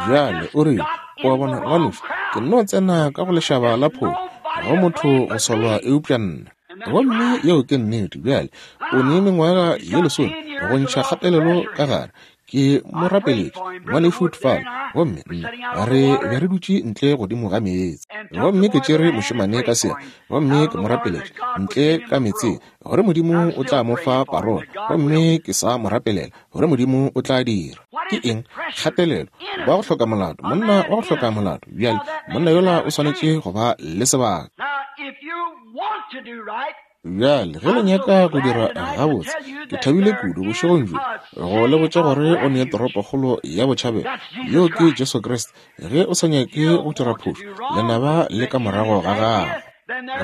Bjale o rile, O a bona, ngwanešu, ke nno tsena ka go lešaba la phofu, ga go motho go solwa eupša nna. Gomme yeo ke nnete. Bjale, o ne mengwaga ye lesome go ntšha kgatelelo ka gare. Ke mo rapeletše, Ngwanešu Tfal, gomme nna re be re dutše ntle godimo ga meetse. Gomme ke tšere mošemane ka seatla, gomme ke mo rapeletše ntle ka meetseng, gore Modimo o tla mo fa parola, gomme ke sa mo rapelela gore Modimo o tla dira. Ke eng? Kgatelelo. Wa go hloka molato, monna wa go hloka molato. Bjale, monna yola o swanetše go ba le sebaka. Bjale, ge le nyaka go dira gabotse, ke thabile kudu bošegong bjo go le botša gore o ne toropokgolo ya botšhabelo, yeo ke Jesu Kriste. Ge o sa nyake go dira phošo, lenaba le ka morago ga gago.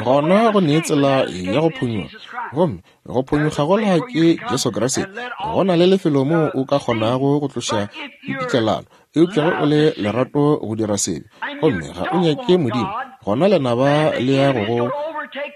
Gona go ne tsela ya go phonyokga, gomme Go phonyokga gola ke Jesu Kriste. Go na le lefelo moo o ka kgonago go tloša pipitlelano, eupša ge o le lerato go dira sebe gomme ga o nyake Modimo, gona lenaba le ya go go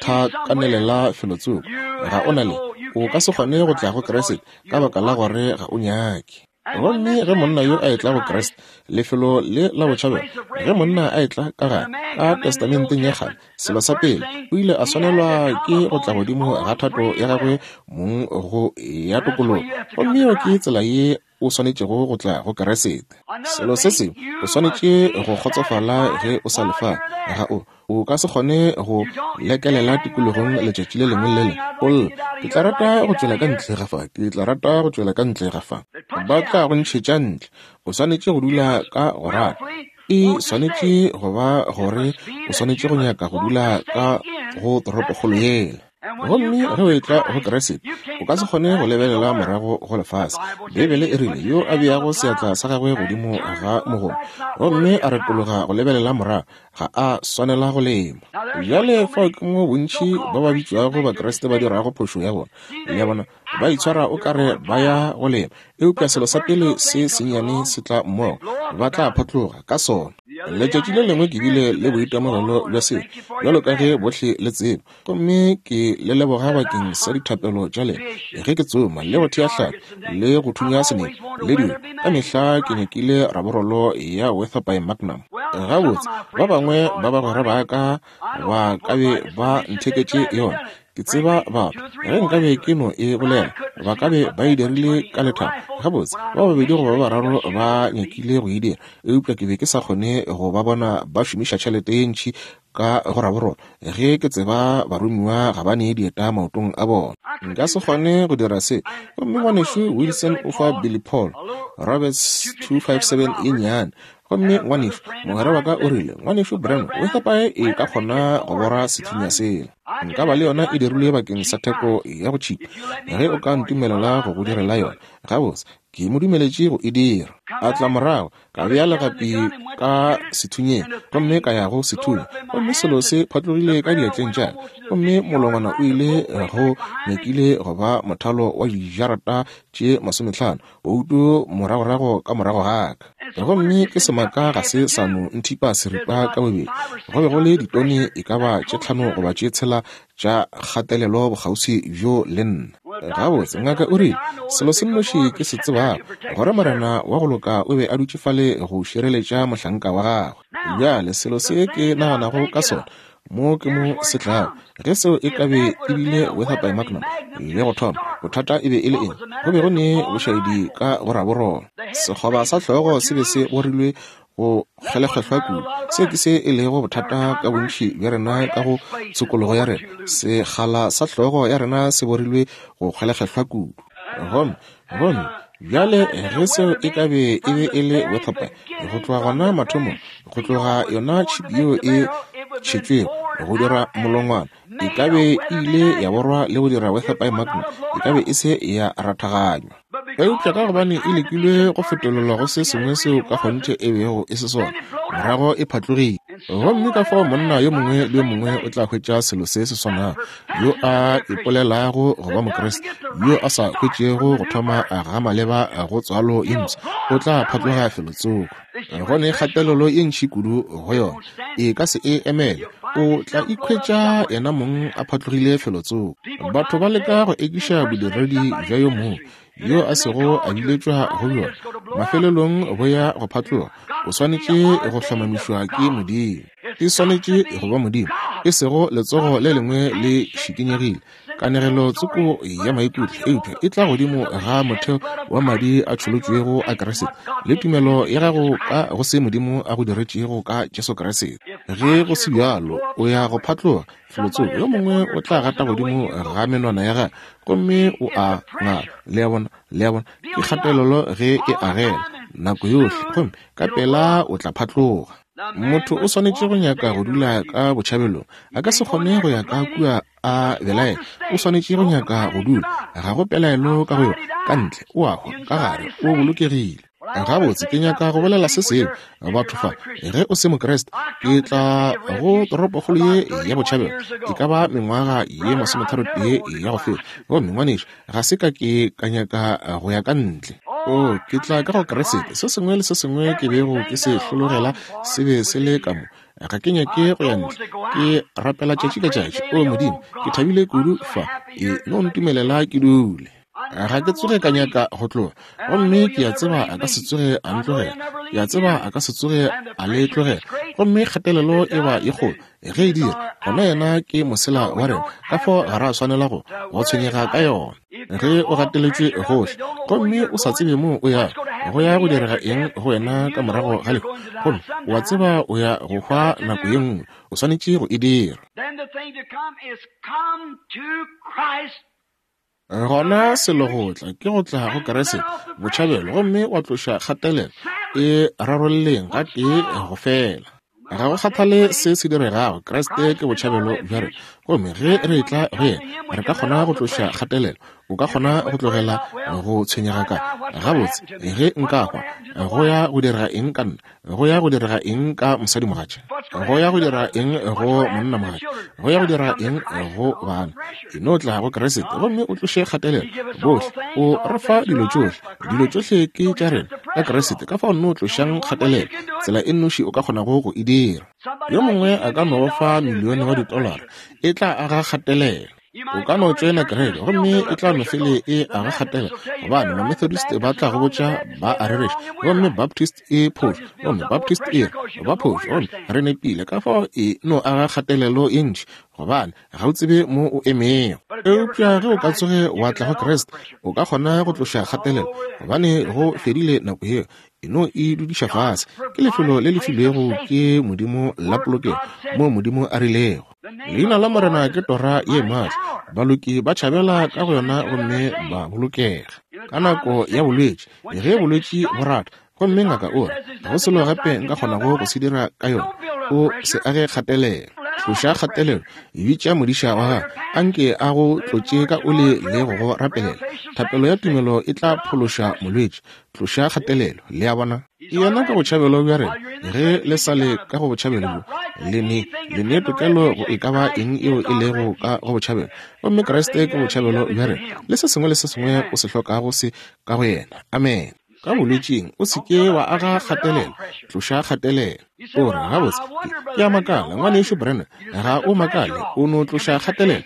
thakanelela felotsoko. Ga o na le, o ka se kgone go tla go Kriste ka baka la gore ga o nyake. Gomme ge monna yo a etla go Kriste, lefelo le la botšhabelo, ge monna a etla ka gare, ka Testamenteng ya Kgale, selo sa pele, o ile a swanelwa ke go tla godimo ga thato ya gagwe mong go ya tokologo. Gomme yeo ke tsela ye o swanetšego go tla go Kriste. Selo se sengwe, o swanetše go kgotsofala ge o sa le fa. Ga o, O ka se kgone go lekelela tikologong letšatši le lengwe le le lengwe, o lla, Ke tla rata go tšwela ka ntle ga fa. Ke tla rata go tšwela ka ntle ga fa. Ba tla go ntšhetša ntle. O swanetše go dula ka go rata. E swanetše go ba gore o swanetše go nyaka go dula ka go toropokgolo yela. Gomme ge o etla go Kriste, o ka se kgone go lebelela morago go lefase. Beibele e rile, Yo a beago seatla sa gagwe godimo ga mogomo gomme a retologa go lebelela morago, ga a swanela go lema. Bjale fao ke mo bontši ba ba bitšwago Bakriste ba dirago phošo ya bona. Le a bona, ba itshwara o ka re ba ya go lema, eupša selo sa pele se sennyane se tla mmogo, ba tla phatloga ka sona. Letšatši le lengwe ke bile le boitemogelo bja seo, bjalo ka ge bohle le tseba. Gomme ke le leboga bakeng sa dithapelo tša lena ge ke tsoma le go thea hlapi le go thunya senepe le dilo. Ka mehla ke nyakile raborolo ya Weatherby Magnum. Gabotse, ba bangwe ba bagwera ba ka ba ka be ba ntheketše yona. Ke tseba batho, ge nkabe ke no e bolela, ba ka be ba e dirile ka lethabo. Gabotse, ba babedi goba ba bararo ba nyakile go e dira, eupša ke be ke sa kgone go ba bona ba šomiša tšhelete ye ntši ka go raborolo ge ke tseba baromiwa ga ba ne dieta maotong a bona. Nka se kgone go dira se. Gomme ngwanešu Wilson o fa Billy Paul Roberts 257 ye nnyane. Gomme ngwanešu, mogwera wa ka o rile, Ngwanešu Branham, Weatherby e ka kgona go bora sethunya sela. Nka ba le yona e dirilwe bakeng sa theko ya go tšhipa, ge o ka ntumelela go go direla yona. Gabotse, ke mo dumeletše go e dira. A tla morago, ka bea legapi ka sethunyeng, gomme ka ya go sethunya, gomme selo se phatlogile ka diatleng tša ka, gomme molongwana o ile go nyakile go ba mothalo wa dijarata tše 50 bouto moragorago ka morago ga ka. Gomme ke semaka ga se sa no nthipa seripa ka bobedi, go be go le ditone e ka ba tše 5 goba tše 6 tša kgatelelo bokgauswi bjo le nna. Gabotse, ngaka o rile, selo se nnoši ke se tsebago, gore Morena wa go loka o be a dutše fale go šireletša mohlanka wa gagwe. Bjale, selo se ke naganago ka sona, mo ke mo se tlago. Ge seo e ka be e bile Weatherby Magnum le go thoma, bothata e be e le eng? Go be go ne bošaedi ka go raborolo. Sekgoba sa hlogo se be se borilwe go kgelekgehlwa kudu. Se ke se e lego bothata ka bontši bja rena ka go tshokologo ya rena. Sekgala sa hlogo ya rena se borilwe go kgelekgehlwa kudu. Gomme, gomme bjale ge seo e ka be e be e le Weatherby, go tloga gona mathomong, go tloga yona tšhipi yeo e tšhetšwego go dira molongwana, e ka be e ile ya borwa le go dira Weatherby Magnum, e ka be e se ya rathaganywa. Eupša ka gobane e lekilwe go fetolelwa go se sengwe seo ka kgonthe e bego e se sona, morago e phatlogile. Gomme ka fao monna yo mongwe le yo mongwe o tla hwetša selo se se swanago, yo a ipolelago go ba Mokriste, yo a sa hwetšego go thoma ga maleba go tswalo ye mpsha, o tla phatloga felotsoko. Go ne kgatelelo ye ntši kudu go yona, e ka se e emele. O tla ikhwetša yena mong a phatlogile felotsoko. Batho ba leka go ekiša bodiredi bja yo mongwe yo a sego a biletšwa go bjona. Mafelelong bo ya go phatloga. O swanetše go hlomamišwa ke Modimo. E swanetše go ba Modimo, e sego letsogo le lengwe le šikinyegile. Kanegelo tsoko ya maikutlo, eupša e tla godimo ga motheo wa madi a tšholotšwego a Kriste le tumelo ya gago ka go se Modimo a go diretšego ka Jesu Kriste. Ge go se bjalo, o ya go phatloga felotsoko. Yo mongwe o tla gata godimo ga menwana ya gagwe gomme o a ngala. Le a bona? Le a bona? Ke kgatelelo ge e agela nako yohle, gomme ka pela o tla phatloga. Motho o swanetše go nyaka go dula ka botšhabelong. A ka se kgone go ya ka kua a belaela. O swanetše go nyaka go dula. Ga go pelaelo ka go yona. Ka ntle, o a hwa. Ka gare, o bolokegile. Gabotse, ke nyaka go bolela se sengwe. Batho fa, ge o se Mokriste, ke tla go toropokgolo ye ya botšhabelo. E ka ba mengwaga ye 31 ya go feta. Gomme, ngwanešu, ga se ka ke ka nyaka go ya ka ntle. O, ke tla ka go Kriste. Se sengwe le se sengwe ke bego ke se hlologela se be se le ka mo. Ga ke nyake go ya ntle. Ke rapela tšatši ka tšatši. O Modimo, ke thabile kudu fa. E no ntumelela ke dule. Ga ke tsoge ka nyaka go tloga. Gomme ke a tseba a ka se tsoge a ntlogela. Ke a tseba a ka se tsoge a le tlogela. Gomme kgatelelo e ba ye kgolo. Ge e dira, gona yena ke mosela wa rena, ka fao ga ra swanela go go tshwenyega ka yona. Ge o gateletšwe gohle gomme o sa tsebe moo o yago, go ya go direga eng go wena ka morago ga lehu, gomme o a tseba o ya go hwa nako ye nngwe, o swanetše go e dira. Gona selo go tla ke go tla go Kriste, botšhabelo, gomme wa tloša kgatelelo. E rarolleng gatee go fela. Ga go kgathale se se diregago, Kriste ke botšhabelo bja rena. Gomme ge re etla go yena, re ka kgona go tloša kgatelelo. O ka kgona go tlogela go tshwenyega ka, Gabotse, ge nka hwa, go ya go direga eng ka nna? Go ya go direga eng ka mosadimogatša? Go ya go dira eng go monnamogatša? Go ya go dira eng go bana? E no tla go Kriste gomme o tloše kgatelelo. Bohle, o re fa dilo tšohle. Dilo tšohle ke tša rena ka Kriste. Ka fao nno tlošang kgatelelo, tsela e nnoši o ka kgonago go e dira. Yo mongwe a ka no go fa milione wa ditolara, e tla aga kgatelelo. O ka no tšoena kereke gomme e tla no fele e aga kgatela, gobane Mamethodist ba tla go botša ba a rereša, gomme Baptist e phošo, gomme Baptist e re ba phošo, gomme re nepile. Ka fao e no aga kgatelelo ye ntši, gobane ga o tsebe mo o emego. Eupša ge o ka tsoge wa tla go Kriste, o ka kgona go tloša kgatelelo, gobane go fedile nako yeo. E no e dudiša fase. Ke lefelo le le filwego ke Modimo la polokego, moo Modimo a rilego, Leina la Morena ke tora ye maatla, baloki ba tšhabela ka go yona gomme ba bolokega. Ka nako ya bolwetši, ge bolwetši bo rata, gomme ngaka o re, Ga go selo gape nka kgonago go se dira ka yona, o se age kgatelelo. Tloša kgatelelo, bitša modiša wa gago, a nke a go tlotše ka oli le go go rapelela. Thapelo ya tumelo e tla phološa molwetši. Tloša kgatelelo, le a bona. Yena ke botšhabelo bja rena. Ge le sa le ka go botšhabelo bjo, le ne, le ne tokelo go e ka ba eng yeo e lego ka go botšhabelo. Gomme Kriste ke botšhabelo bja rena, le se sengwe le se sengwe o se hlokago se ka go Yena. Amene. Ka bolwetšing, o se ke wa aga kgatelelo. Tloša kgatelelo. O re, Gabotse, ke, ke a makala, Ngwanešu Branham. Ga o makale, o no tloša kgatelelo.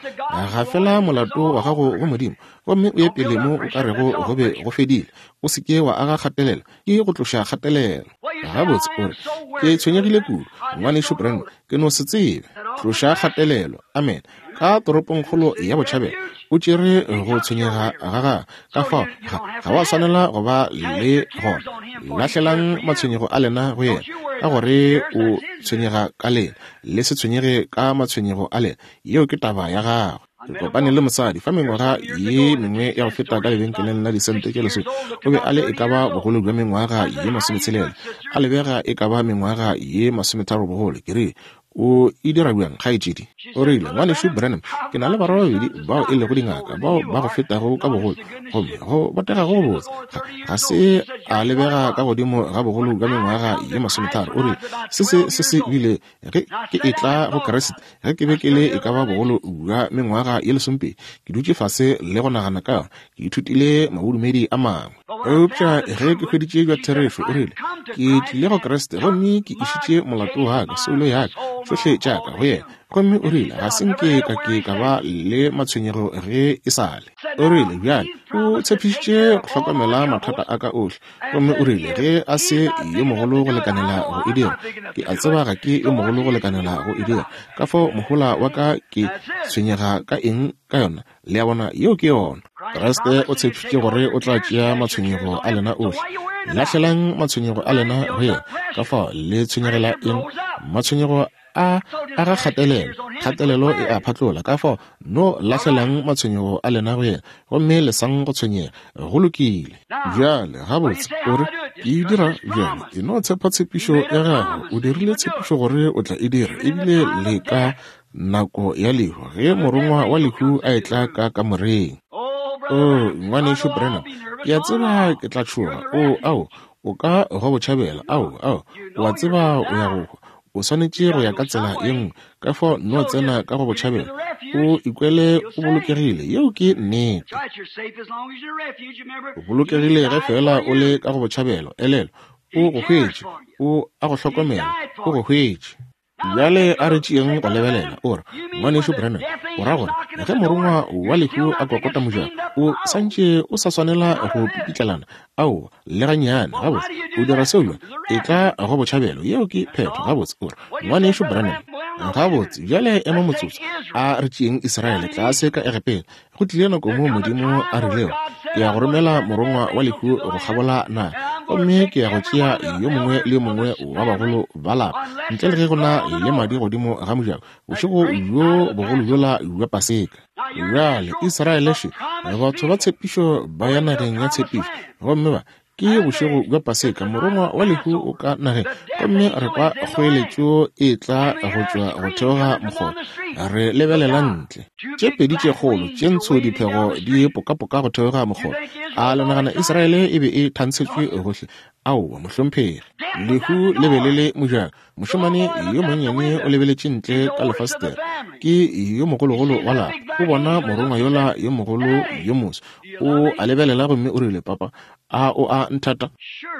Gafela molato wa gago go Modimo, gomme o ye pele mo o ka rego go be go fedile. O se ke wa aga kgatelelo, ke go tloša kgatelelo. Gabotse, o re, Ke tshwenyegile kudu, Ngwanešu Branham, ke no se tsebe. Tloša kgatelelo. Amene. Ka toropongkgolo ya botšhabelo, o tšere go tshwenyega ga gagwe. Ka fao, ga, ga wa swanela go ba le gona. Lahlelang matshwenyego a lena go yena, ka gore o tshwenyega ka lena. Le se tshwenyege ka matshwenyego a lena. Yeo ke taba ya gagwe. Ke kopane le mosadi fa mengwaga ye mengwe ya go feta ka lebenkeleng la disente tše lesome. O be a le e ka ba bogolo bja mengwaga ye masometshela, a lebega e ka ba mengwaga ye masometharo bogolo. Ke rile, O e dira bjang, kgaetšedi? O rile, Ngwanešu Branham, ke na le barwa ba babedi bao e lego dingaka, bao ba go fetago ka bogolo, gomme go botega go botse. Ga, ga se a lebega ka godimo ga bogolo bja mengwaga ye masometharo. O rile, Se se, se se bile ge ke etla go Kriste, ge ke be ke le e ka ba bogolo bja mengwaga ye lesomepedi. Ke dutše fase le go nagana ka yona. Ke ithutile mabodumedi a mangwe. Eupša ge ke hweditše bja therešo, o rile, ke tlile go Kriste gomme ke išitše molato wa ka, soulo ya ka, tšohle tša ka go yena. Gomme o rile, ga se nke ka ke ka ba le matshwenyego ge e sa le. O rile, bjale, o tshepišitše go hlokomela mathata a ka ohle. Gomme o rile, ge a se yo mogolo go lekanela go e dira, ke a tseba ga ke yo mogolo go lekanela go e dira. Ka fao mohola wa ka ke tshwenyega ka eng ka yona? Le a bona, yeo ke yona. Kriste o tshepišitše gore o tla tšea matshwenyego a lena ohle. Lahlelang matshwenyego a lena go yena. Ka fao le tshwenyegela eng? Matshwenyego a aga kgatelelo. Kgatelelo e a phatlola. Ka fao no lahlelang matshwenyego a lena go yena, gomme lesang go tshwenyega. Go lokile. Bjale, gabotse, o re, Ke e dira bjang? E no tshepa tshepišo ya gagwe. O dirile tshepišo gore o tla e dira, ebile le ka nako ya lehu, ge morongwa wa lehu a etla ka kamoreng. O, Ngwanešu Branham, ke a tseba ke tla tšhoga. O, ao, o ka go botšhabela. Ao, ao, o a tseba o ya go hwa. O swanetše go ya ka tsela ye nngwe. Ka fao no tsena ka go botšhabela, o ikwele o bolokegile. Yeo ke nnete. O bolokegile ge feela o le ka go botšhabelo. Elelwa, o go hwetše. O a go hlokomela. O go hwetše. Bjale a re tšeeng go lebelela. O re, Ngwanešu Branham, o ra gore ge morongwa wa lehu a kokota mojako, o sa ntše o sa swanela go pipitlelana? Aowa, le gannyane. Gabotse, o dira seo bjang? Etla go botšhabelo. Yeo ke phetho. Gabotse, o re, Ngwanešu Branham. Gabotse, bjale ema motsotso. A re tšeeng Israele tlase ka Egepeta. Go tlile nako moo Modimo a rilego, Ke ya go romela morongwa wa lehu go kgabola naga. Gomme ke ya go tšea yo mongwe le yo mongwe wa bagolo ba lapa, ntle le ge go na le madi godimo ga mojako, bošego bjo bogolo bjola bja Paseka. Bjale, Israele še, batho ba tshepišo ba ya nageng ya tshepišo, gomme ba, ke bošego bja Paseka, morongwa wa lehu o ka nageng, gomme re kwa kgoeletšo e tla go tšwa go theoga mokgoba. Re lebelela ntle. Tše pedi tše kgolo tše ntsho diphego di pokapoka go theoga mokgoba. A le nagana Israele e be e thantshetšwe gohle? Aowa, mohlomphegi. Lehu le be le le mojako. Mošemane yo monnyane o lebeletše ntle ka lefastere. Ke yo mogologolo wa lapa. O bona morongwa yola yo mogolo yo moso. O a lebelela gomme o rile, Papa, a o a nthata?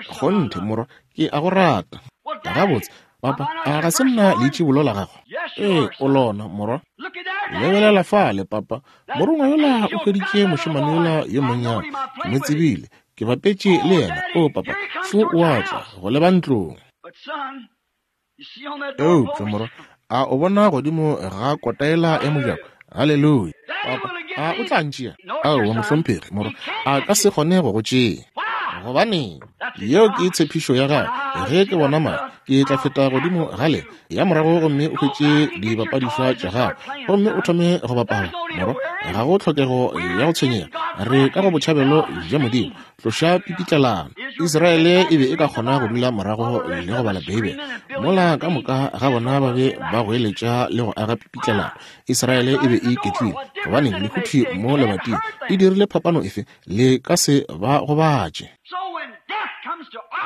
Kgonthe, morwa, ke a go rata. Gabotse, papa, a ga se nna leitšibolo la gago? Ee, o lona, morwa. Lebelela fale, papa. Morongwa yola o hweditše mošemane yola yo monnyane. Ke mo tsebile. Ke bapetše le yena. O, papa, šo o a tla go leba ntlong. Eupša, morwa, a o bona godimo ga kotaela ya mojako? Haleluya! Papa, a o tla ntšea? Aowa, mohlomphegi, morwa, a ka se kgone go go tšea. Gobaneng? Yeo ke tshepišo ya gagwe. Ge ke bona madi, ke tla feta godimo ga le ya morago gomme o hwetše dibapadišwa tša gago gomme o thome go bapala. Morwa, ga go tlhokego ya go tshwenyega. Re ka go botšhabelo bja Modimo. Tloša pipitlelano. Israele e be e ka kgona go dula morago le go bala Beibele, mola ka moka ga bona ba be ba goeletša le go aga pipitlelano. Israele e be e iketlile. Gobaneng, lehuthi mo lebating e dirile phapano efe? Le ka se ba gobatše.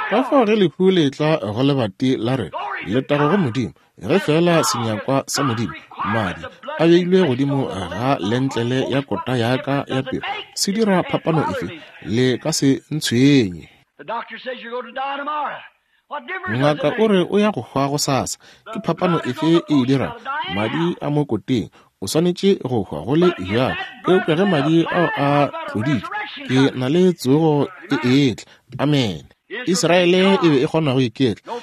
Ka fao ge lehu le etla go lebati la rena, letago go Modimo, Ge feela senyakwa sa Modimo, madi, a beilwe godimo ga lentlele ya kota ya ka ya pelo, se dira phapano efe? Le ka se ntshwenye. Ngaka o re o ya go hwa gosasa. Ke phapano efe e e dirago? Madi a mo koteng. O swanetše go hwa go le bjalo. Eupša ge madi ao a tloditšwe, ke na le tsogo e etla. Amene. Israele e be e kgona go iketla,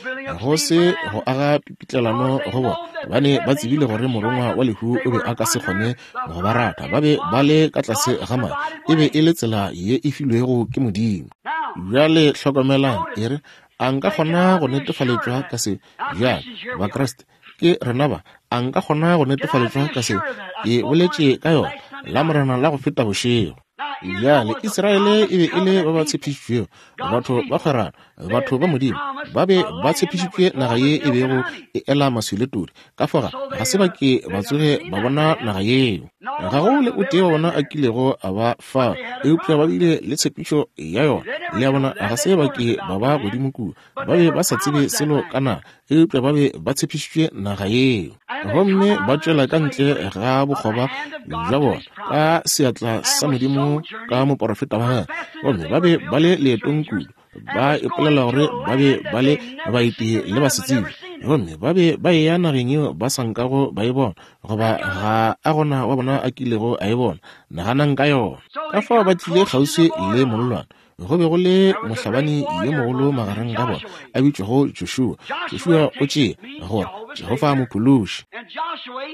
go se go aga pipitlelano go bona, gobane ba tsebile gore morongwa wa lehu o be a ka se kgone go ba rata. Ba be ba le ka tlase ga madi. E be e le tsela ye e filwego ke Modimo. Bjale hlokomelang, e re, A nka kgona go netefaletšwa ka se? Bjale, Bakriste, ke rena ba. A nka kgona go netefaletšwa ka se? Ke boletše ka yona Lamorena la go feta bošego. Bjale, Israele e be e le ba ba tshepišitšwego, batho ba kgwerano, batho ba Modimo. Ba be ba tshepišitšwe naga ye e bego e ela maswi le todi. Ka foga, ga se ba ke ba tsoge ba bona naga yeo. Ga go le o tee wa bona a kilego a ba fao, eupša ba bile le tshepišo ya yona. Le a bona, ga se ba ke ba ba godimo kua. Ba be ba sa tsebe selo ka naga, eupša ba be ba tshepišitšwe naga yeo. Gomme ba tšwela ka ntle ga bokgoba bja bona ka seatla sa Modimo ka moporofeta wa gagwe. Gomme ba be ba le leetong kudu, ba ipolela gore ba be ba le baeti le basetsebje. Gomme ba be ba eya nageng yeo ba sa nkago ba e bona, goba ga a gona wa bona a kilego a e bona. Naganang ka yona. Ka fao ba tlile kgauswi le mollwane. Go be go le mohlabani yo mogolo magareng ga bona, a bitšwago Joshua. Joshua o tšea gore Jehofa mophološi.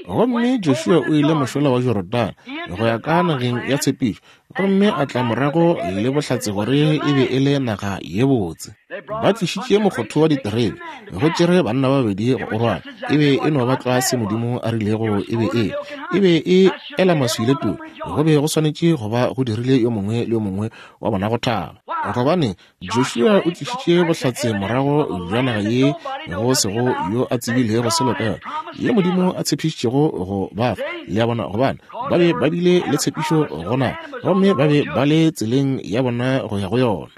Gomme Joshua o ile mošola wa Jorodane go ya ka nageng ya tshepišo, gomme a tla morago le bohlatse gore e be e le naga ye botse. Ba tlišitše mokgotho wa diterebe, go tšere banna ba babedi go o rwala. E be e no ba tlwa se Modimo a rilego e be e le. E be e ela maswi le todi. Go be go swanetše go ba go dirile yo mongwe le yo mongwe wa bona go thaba. Gobane Joshua o tlišitše bohlatse morago bja naga ye go sego yo a tsebilego selo ka yona, ye Modimo a tshepišitšego go ba fa. Le a bona, gobane ba be ba bile le tshepišo go naga, gomme ba be ba le tseleng ya bona go ya go yona.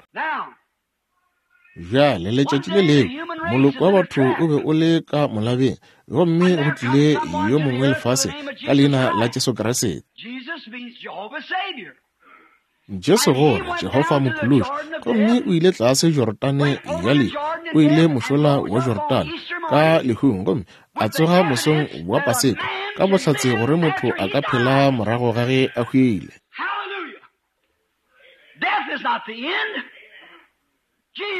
Bjale letšatši le lengwe moloko wa batho o be o le ka molabeng, gomme go tlile yo mongwe lefaseng ka leina la Jesu Kriste. Jesu gore Jehofa Mophološi, gomme o ile tlase Jorodane ya lehu, o ile mošola wa Jorodane ka lehung, gomme a tsoga mosong wa Paseka ka bohlatse gore motho a ka phela morago ga ge a hwile.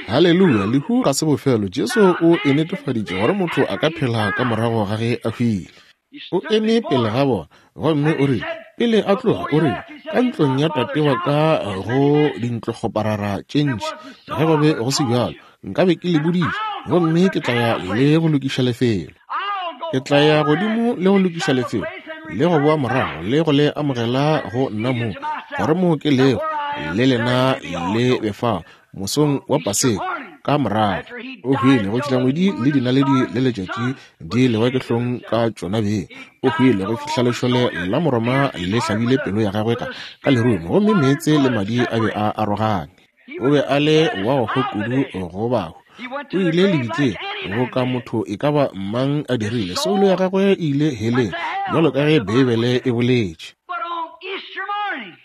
Haleluya! Lehu ga se bofelo. Jesu o e netefaditše gore motho a ka phela ka morago ga ge a hwile. O eme pele ga bona gomme o rile, Pele a tloga, o rile, Ka ntlong ya tate wa ka go dintlokgoparara tše ntši. Ge go be go se bjalo, nkabe ke le boditše, gomme ke tla ya le go lokiša lefelo. Ke tla ya godimo le go lokiša lefelo, le go boa morago le go le amogela go nna mo, gore mo ke lego, le lena le be fao, mosong wa Paseka. Ka morago o hwile go fihla ngwedi le dinaledi le letšatši di lewa ke hlong ka tšona beng. O hwile go fihla lešole la Moroma le hlabile pelo ya gagwe ka ka lerumo, gomme meetse le madi a be a arogane. O be a le wa go hwa kudu go bahu. O ile lebitleng boka motho e ka ba mang a dirile. Soulo ya gagwe e ile heleng, bjalo ka ge Beibele e boletše. But on Easter morning,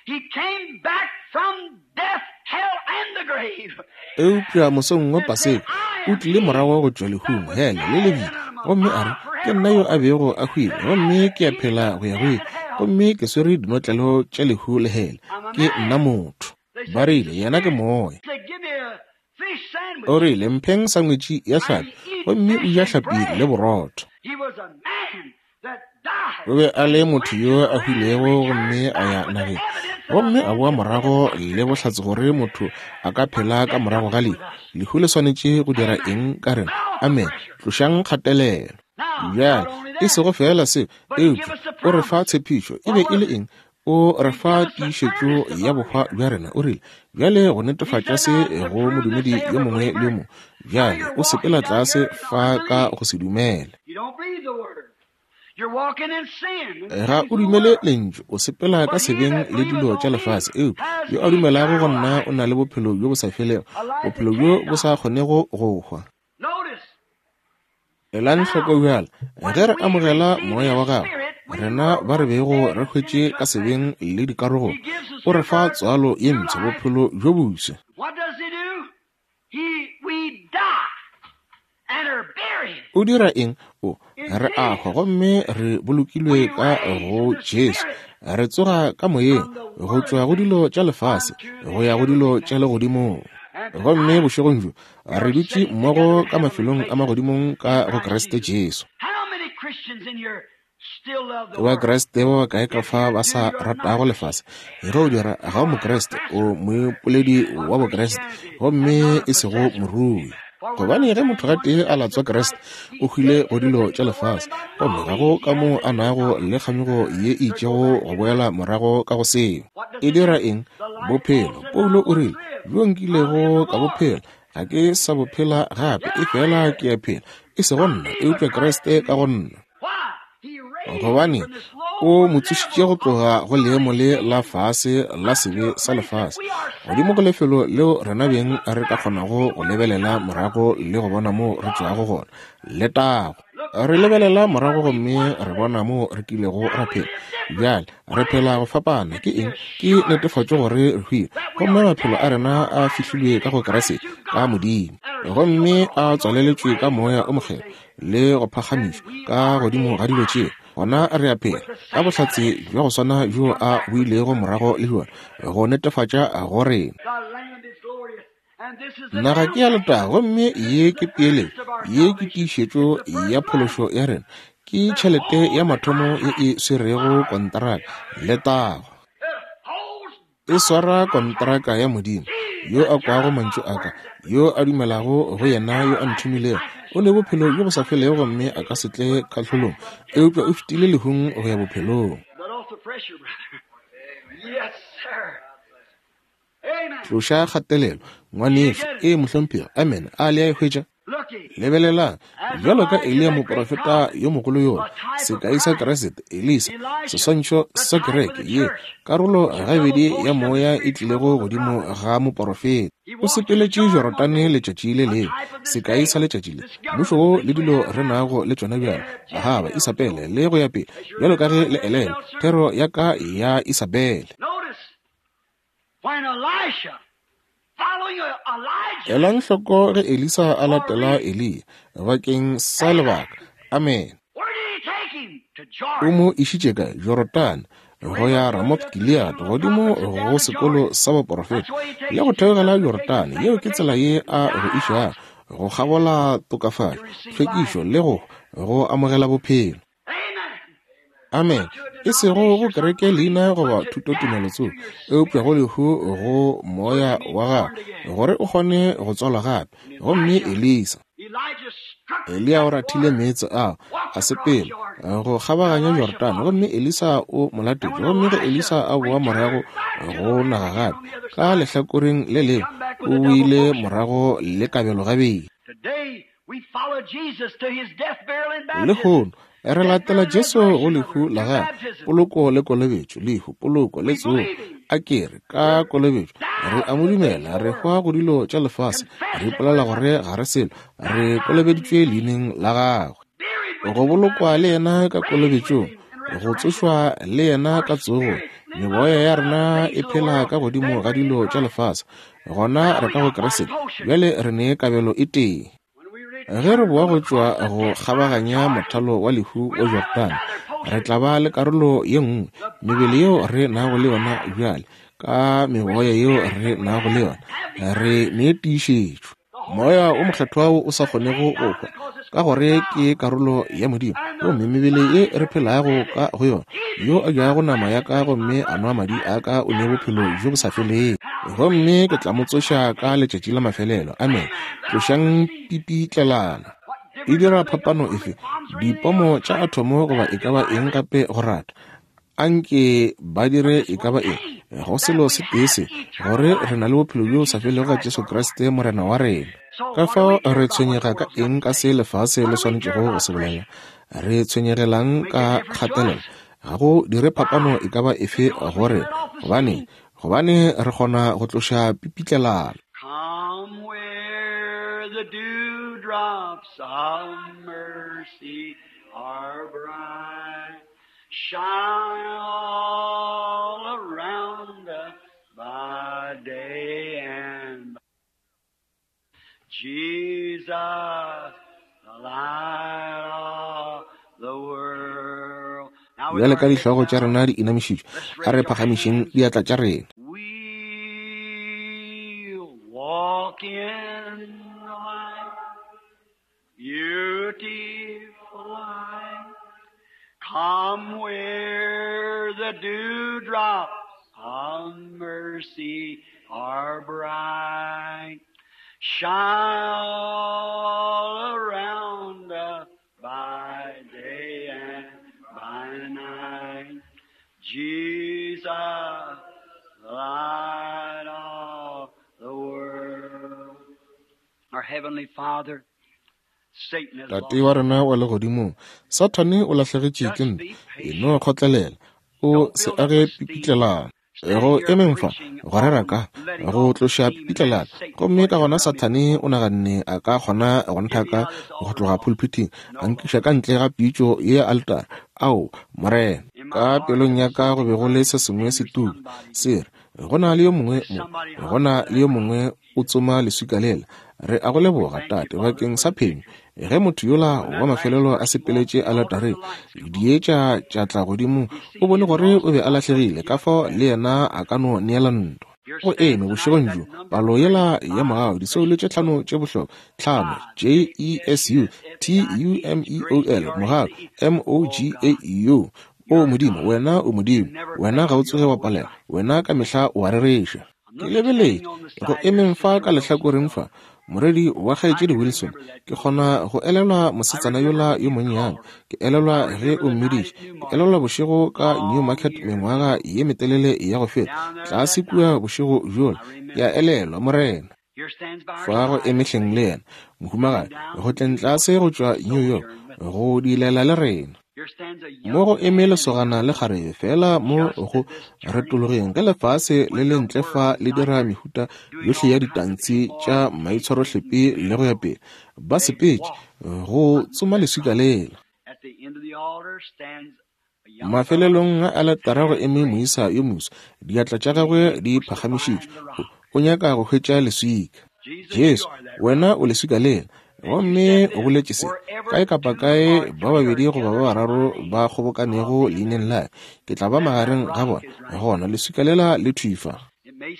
he came back from death, hell, and the grave. Eupša mosong wa Paseka, o tlile morago go tšwa lehung, hele, le lebitla, gomme a re, Ke nna yo a bego a hwile, gomme ke a phela go ya go ile, gomme ke swere dinotlelo tša lehu le hele. Ke nna motho. Ba rile, Yena ke moya. He said, Give me a fish sandwich. O rile, Mpheng sangwetši ya hlapi, gomme o ja hlapi le borotho. He was a man that died. O be a le motho yo a hwilego gomme a ya nageng, gomme a boa morago le bohlatse gore motho a ka phela ka morago ga lehu. Lehu le swanetše go dira eng ka rena? Amene. Tlošang kgatelelo. Bjale, e sego feela seo, eupša o re fa tshepišo. E be e le eng? O re fa tiišetšo ya bohwa bja rena. O rile, bjale go netefatša se go modumedi yo mongwe le yo mongwe. Bjale o sepela tlase fa ka go se dumele. You don't believe the word. You're walking in sin. Ga o dumele lentšu, o sepela ka sebeng le dilo tša lefase. Eupša yo a dumelago go nna o na le bophelo bjo bo sa felego, bophelo bjo bo sa kgonego go hwa. Notice, Elang hloko bjale, ge re amogela Moya wa Gagwe, rena ba re bego re hwetše ka sebeng le dikarogong, o re fa tswalo ye mpsha, bophelo bjo bofsa. what does he do? He, we die and are buried. O dira eng? O, re a hwa gomme re bolokilwe ka go Jesu. Re tsoga ka moyeng go tšwa go dilo tša lefase go ya go dilo tša legodimong. Gomme bošegong bjo re dutše mmogo ka mafelong a magodimong ka go Kriste Jesu. How many Christians in here still love the Ke world? Bakriste ba bakae ka fa ba sa ratago lefase? Ge o dira, ga o Mokriste, o moipoledi wa Bokriste, gomme e sego morui. Gobane ge motho gatee a latswa Kriste, o hwile go dilo tša lefase, gomme ga go ka moo a nago le kganyogo ye e itšego go boela morago ka go seo. E dira eng? Bophelo. Paulo o rile, Bjo nkilego ka bo phela, ga ke sa bo phela gape, efela ke a phela, e sego nna, eupša Kriste ka go nna. Why? He raised Gobane from this o low mo tsošitše go level tloga of go leemo le sinful la nature fase la sebe unto a sa place that lefase, we godimo go ourselves lefelo leo rena can beng look re ka back and kgonago see go where we lebelela come from. morago le go bona moo re tšwago gona. Letago! Look Re back lebelela where morago we gomme once re lived. bona moo re kilego ra Now we phela. live different. Bjale re What is phela it? go fapana. It's Ke the eng? Ke assurance netefatšo gore re hwile, that we gomme are maphelo a dead. rena Our a lives are fihlilwe hid ka in go Christ Kriste, through ka God, Modimo, and are sealed with gomme the a Holy Ghost and tswaleletšwe ka raised Moya above o those Mokgethwa things. le go phagamišwa Then we ka are godimo ga dilo tšeo. alive Gona re a phela with the ka same bohlatse evidence. bja go swana bjo Come a back with the boilego morago proof. le bjona go netefatša go rena. The land is glorious, and this is the Naga down ke ya payment. letago, gomme This ye is ke the peeletšo, earnest of our ye ke salvation. tiišetšo It's the ya first money phološo ya rena, ke that tšhelete ya holds the mathomo ye contract. e swerego konteraka. Letago! It holds E God's swara contract. konteraka ya Modimo. He Yo that a kwago heareth mantšu my a ka, word yo a dumelago go and yena yo a everlasting nthomilego, life o is ne bophelo bjo bo sa not felego come gomme a ka se tle kahlolong, eupša o fetile lehung go ya bophelong. Let off the pressure, brother. Yes, sir. Amen. Tloša kgatelelo, Did you ngwanešu. get it? Ee, mohlomphegi. Amen. A le a e hwetša? Looky, Lebelelang, as bjalo ka Elijah, Eliya that great moprofeta prophet, yo mogolo yola, a type of sekai sa Christ, Kriste, Elisa, Elisha, seswantšho the sa type of kereke the ye, church, karolo the double gabedi ya portion of the moya e Spirit tlilego come on the godimo prophet. ga moporofeta. He O walked in the sepeletše Jordan one Jorodane day, letšatši le a lengwe, type of this sekai day, sa letšatši le. this Mmušo government wo le which we dilo have re now. nago le tšona They bjale, had Ahaba, Jezebel Isabele, so. le go ya pele, As you bjalo ka remember ge le my elelwa, Jezebel sermon? thero ya ka ya Isabele. Notice when Elisha, following Elijah Elang hloko ge Elisa a for a latela reason. Eliya bakeng sa Amen. lebaka. Amen. Where did he take him? To O Jordan. mo išitše kae? Jorodane, He go went ya up through Ramoth the Gilead, school of godimo prophets and go down to sekolo Jordan. sa baporofeta, That's where he le takes go you. theogela Justification, Jorodane. Yeo ke tsela ye sanctification, a go išago, dies go kgabola tokafatšo, to receive tlhwekišo life. le go go amogela bophelo. Amen. Amene. E sego go kereke leina goba thutotumelo tsoko, eupša go lehu go moya wa gago, gore o kgone go tswalwa gape. Gomme Elisa, Eliya o rathile meetse ao, a sepela go kgabaganya Jorodane, gomme Elisa o mo latetše. Gomme ge Elisa a boa morago go naga gape, ka lehlakoreng le lengwe, o boile morago le kabelo gabedi. Lehono re latela Jesu go lehu la gagwe, poloko le kolobetšo, lehu, poloko le tsogo. A ke re ka kolobetšo re a mo dumela, re hwa go dilo tša lefase, re ipolela gore ga re selo, re kolobeditšwe leineng la gagwe. Go bolokwa le yena ka kolobetšong, go tsošwa le yena ka tsogong. Meboya ya rena e phela ka godimo ga dilo tša lefase, gona re ka go Kriste. Bjale re ne kabelo e tee. Ge re boa go tšwa go kgabaganya mothalo wa lehu wa Jordane, re tla ba le karolo ye nngwe, mebele yeo re nago le yona bjale, ka meboya yeo re nago le yona, re ne tiišetšo. Moya o Mokgethwa wo o sa kgonego go hwa, ka gore ke karolo ya Modimo, gomme mebele ye re phelago ka go yona, yo a jago nama ya ka gomme a nwa madi a ka o ne bophelo bjo bo sa felego, gomme ke tla mo tsoša ka letšatši la mafelelo. Amen. Tlošang pipitlelano. E dira phapano efe, dipomo tša athomo goba e ka ba eng gape go rata? Anke ba dire e ka ba eng, go selo se tee se, gore re na le bophelo bjo sa felego ka Jesu Kriste Morena wa rena. Ka fao re tshwenyega ka eng ka se lefase le swanetšego go se bolela? Re tshwenyegelang ka kgatelelo? Ga go dire phapano e ka ba efe go rena. Gobane, gobane re kgona go tloša pipitlelano. Come where the dewdrops of mercy are bright, shine all around us by day and by Jesus, the light of the world. Now with Bjale our ka heads dihlogo tša bowed, rena di inamišitšwe, let's a raise re our phagamišeng hands. diatla tša rena. We'll walk in the light, beautiful light. Come where the dewdrops of mercy are bright. Shine all around us by day and by night. Jesus, the light of the world. Our Heavenly Father, Satan has Tate lost wa the rena battle. wa legodimong, Sathane o lahlegetše ke Just ntwa. be E patient. no kgotlelela, o Don't se build up age a steam. pipitlelano. Stand Go here emeng fa, preaching go rera on ka, letting go off the tloša steam and then pipitlelano. Satan Gomme will ka gona come in. Sathane o naganne a ka kgona go Get me nthaka out of this go altar tloga call. pulpithing, No, a nkiša Lord. ka ntle ga pitšo ye ya altara. Ao, Morena, In my ka heart pelong ya there's ka go something be go le burning se sengwe saying se there's tuka, somebody se re, go na le yo mongwe there's mo, somebody go na hungry for le yo that rock. mongwe o tsoma leswika lela. Re a go We leboga, thank you, Tate, Father, bakeng for sa the phenyo. victory. Ge motho yola When wa that last mafelelo a person walked sepeletše to the altar, aletareng, the lights come on. dietša tša tla godimo, He o seen bone he had gore lost o be the a fight. He lahlegile, didn't ka give up fao the le battle. yena a ka no neela ntwa. Here Go stands eme tonight bošegong that bjo, number palo three, yela ya five mogau, disoulo tše precious tlhano souls. tše bohlokwa, tlhano, Five, J J E E S S U U S F T A I U T M H, E O grace, L, G R A mogau, C E. M O Oh G A God, U. O you're Modimo, God. wena o You Modimo, never wena ga fail. o You're tsoge wa always palelwa, right. wena ka mehla o a rereša. I'm Ke looking lebeletše standing on the go side here, emeng fa Sister ka Wilson's lehlakoreng fa, daughter. morwedi wa I kgaetšedi can Wilson. remember that Ke girl. kgona go elelwa I mosetsana remember yola when yo you monnyane. called her. Ke elelwa I ge remember o the night mmiditše. at Ke Newmarket, elelwa bošego ka long Newmarket years mengwaga ago. ye metelele ya go feta, Down there tlase that kua night, bošego bjola. I Ke a remember. elelwa, Morena. Here stands by her Fa go side, eme hleng le lady, yena, coming mohumagadi, down go from tleng New tlase York go to tšwa New York, sojourn with us. go dilela le rena. Here stands a Mo young go eme man and a lesogana young le woman kgarebe fela mo just go at this turning retologeng point ge lefase le when le the ntle fa world le is out dira there mehuta doing yohle ya all kinds of ditantshi tša immoral and maitshwarohlepi le go ya immoral. pele. Ba They sepetše walk go under tsoma that leswika rock. lela. At the end of the altar stands a young fellow, Mafelelong a aletara go hands eme raised. moisa yo moswa, diatla tša He gagwe di looks to phagamišitšwe, find the rock. o nyaka go hwetša leswika. Jesus, you Jesu, are that wena rock. o leswika lela. And you Gomme said o this, boletše se, wherever kae kapa two kae or ba three are babedi goba ba gathered in my bararo name, ba I'll kgobokanego be in their leineng la midst. ka, ke tla ba That that magareng ga rock bona. is right Gona here. leswika lela le thwi fa. It may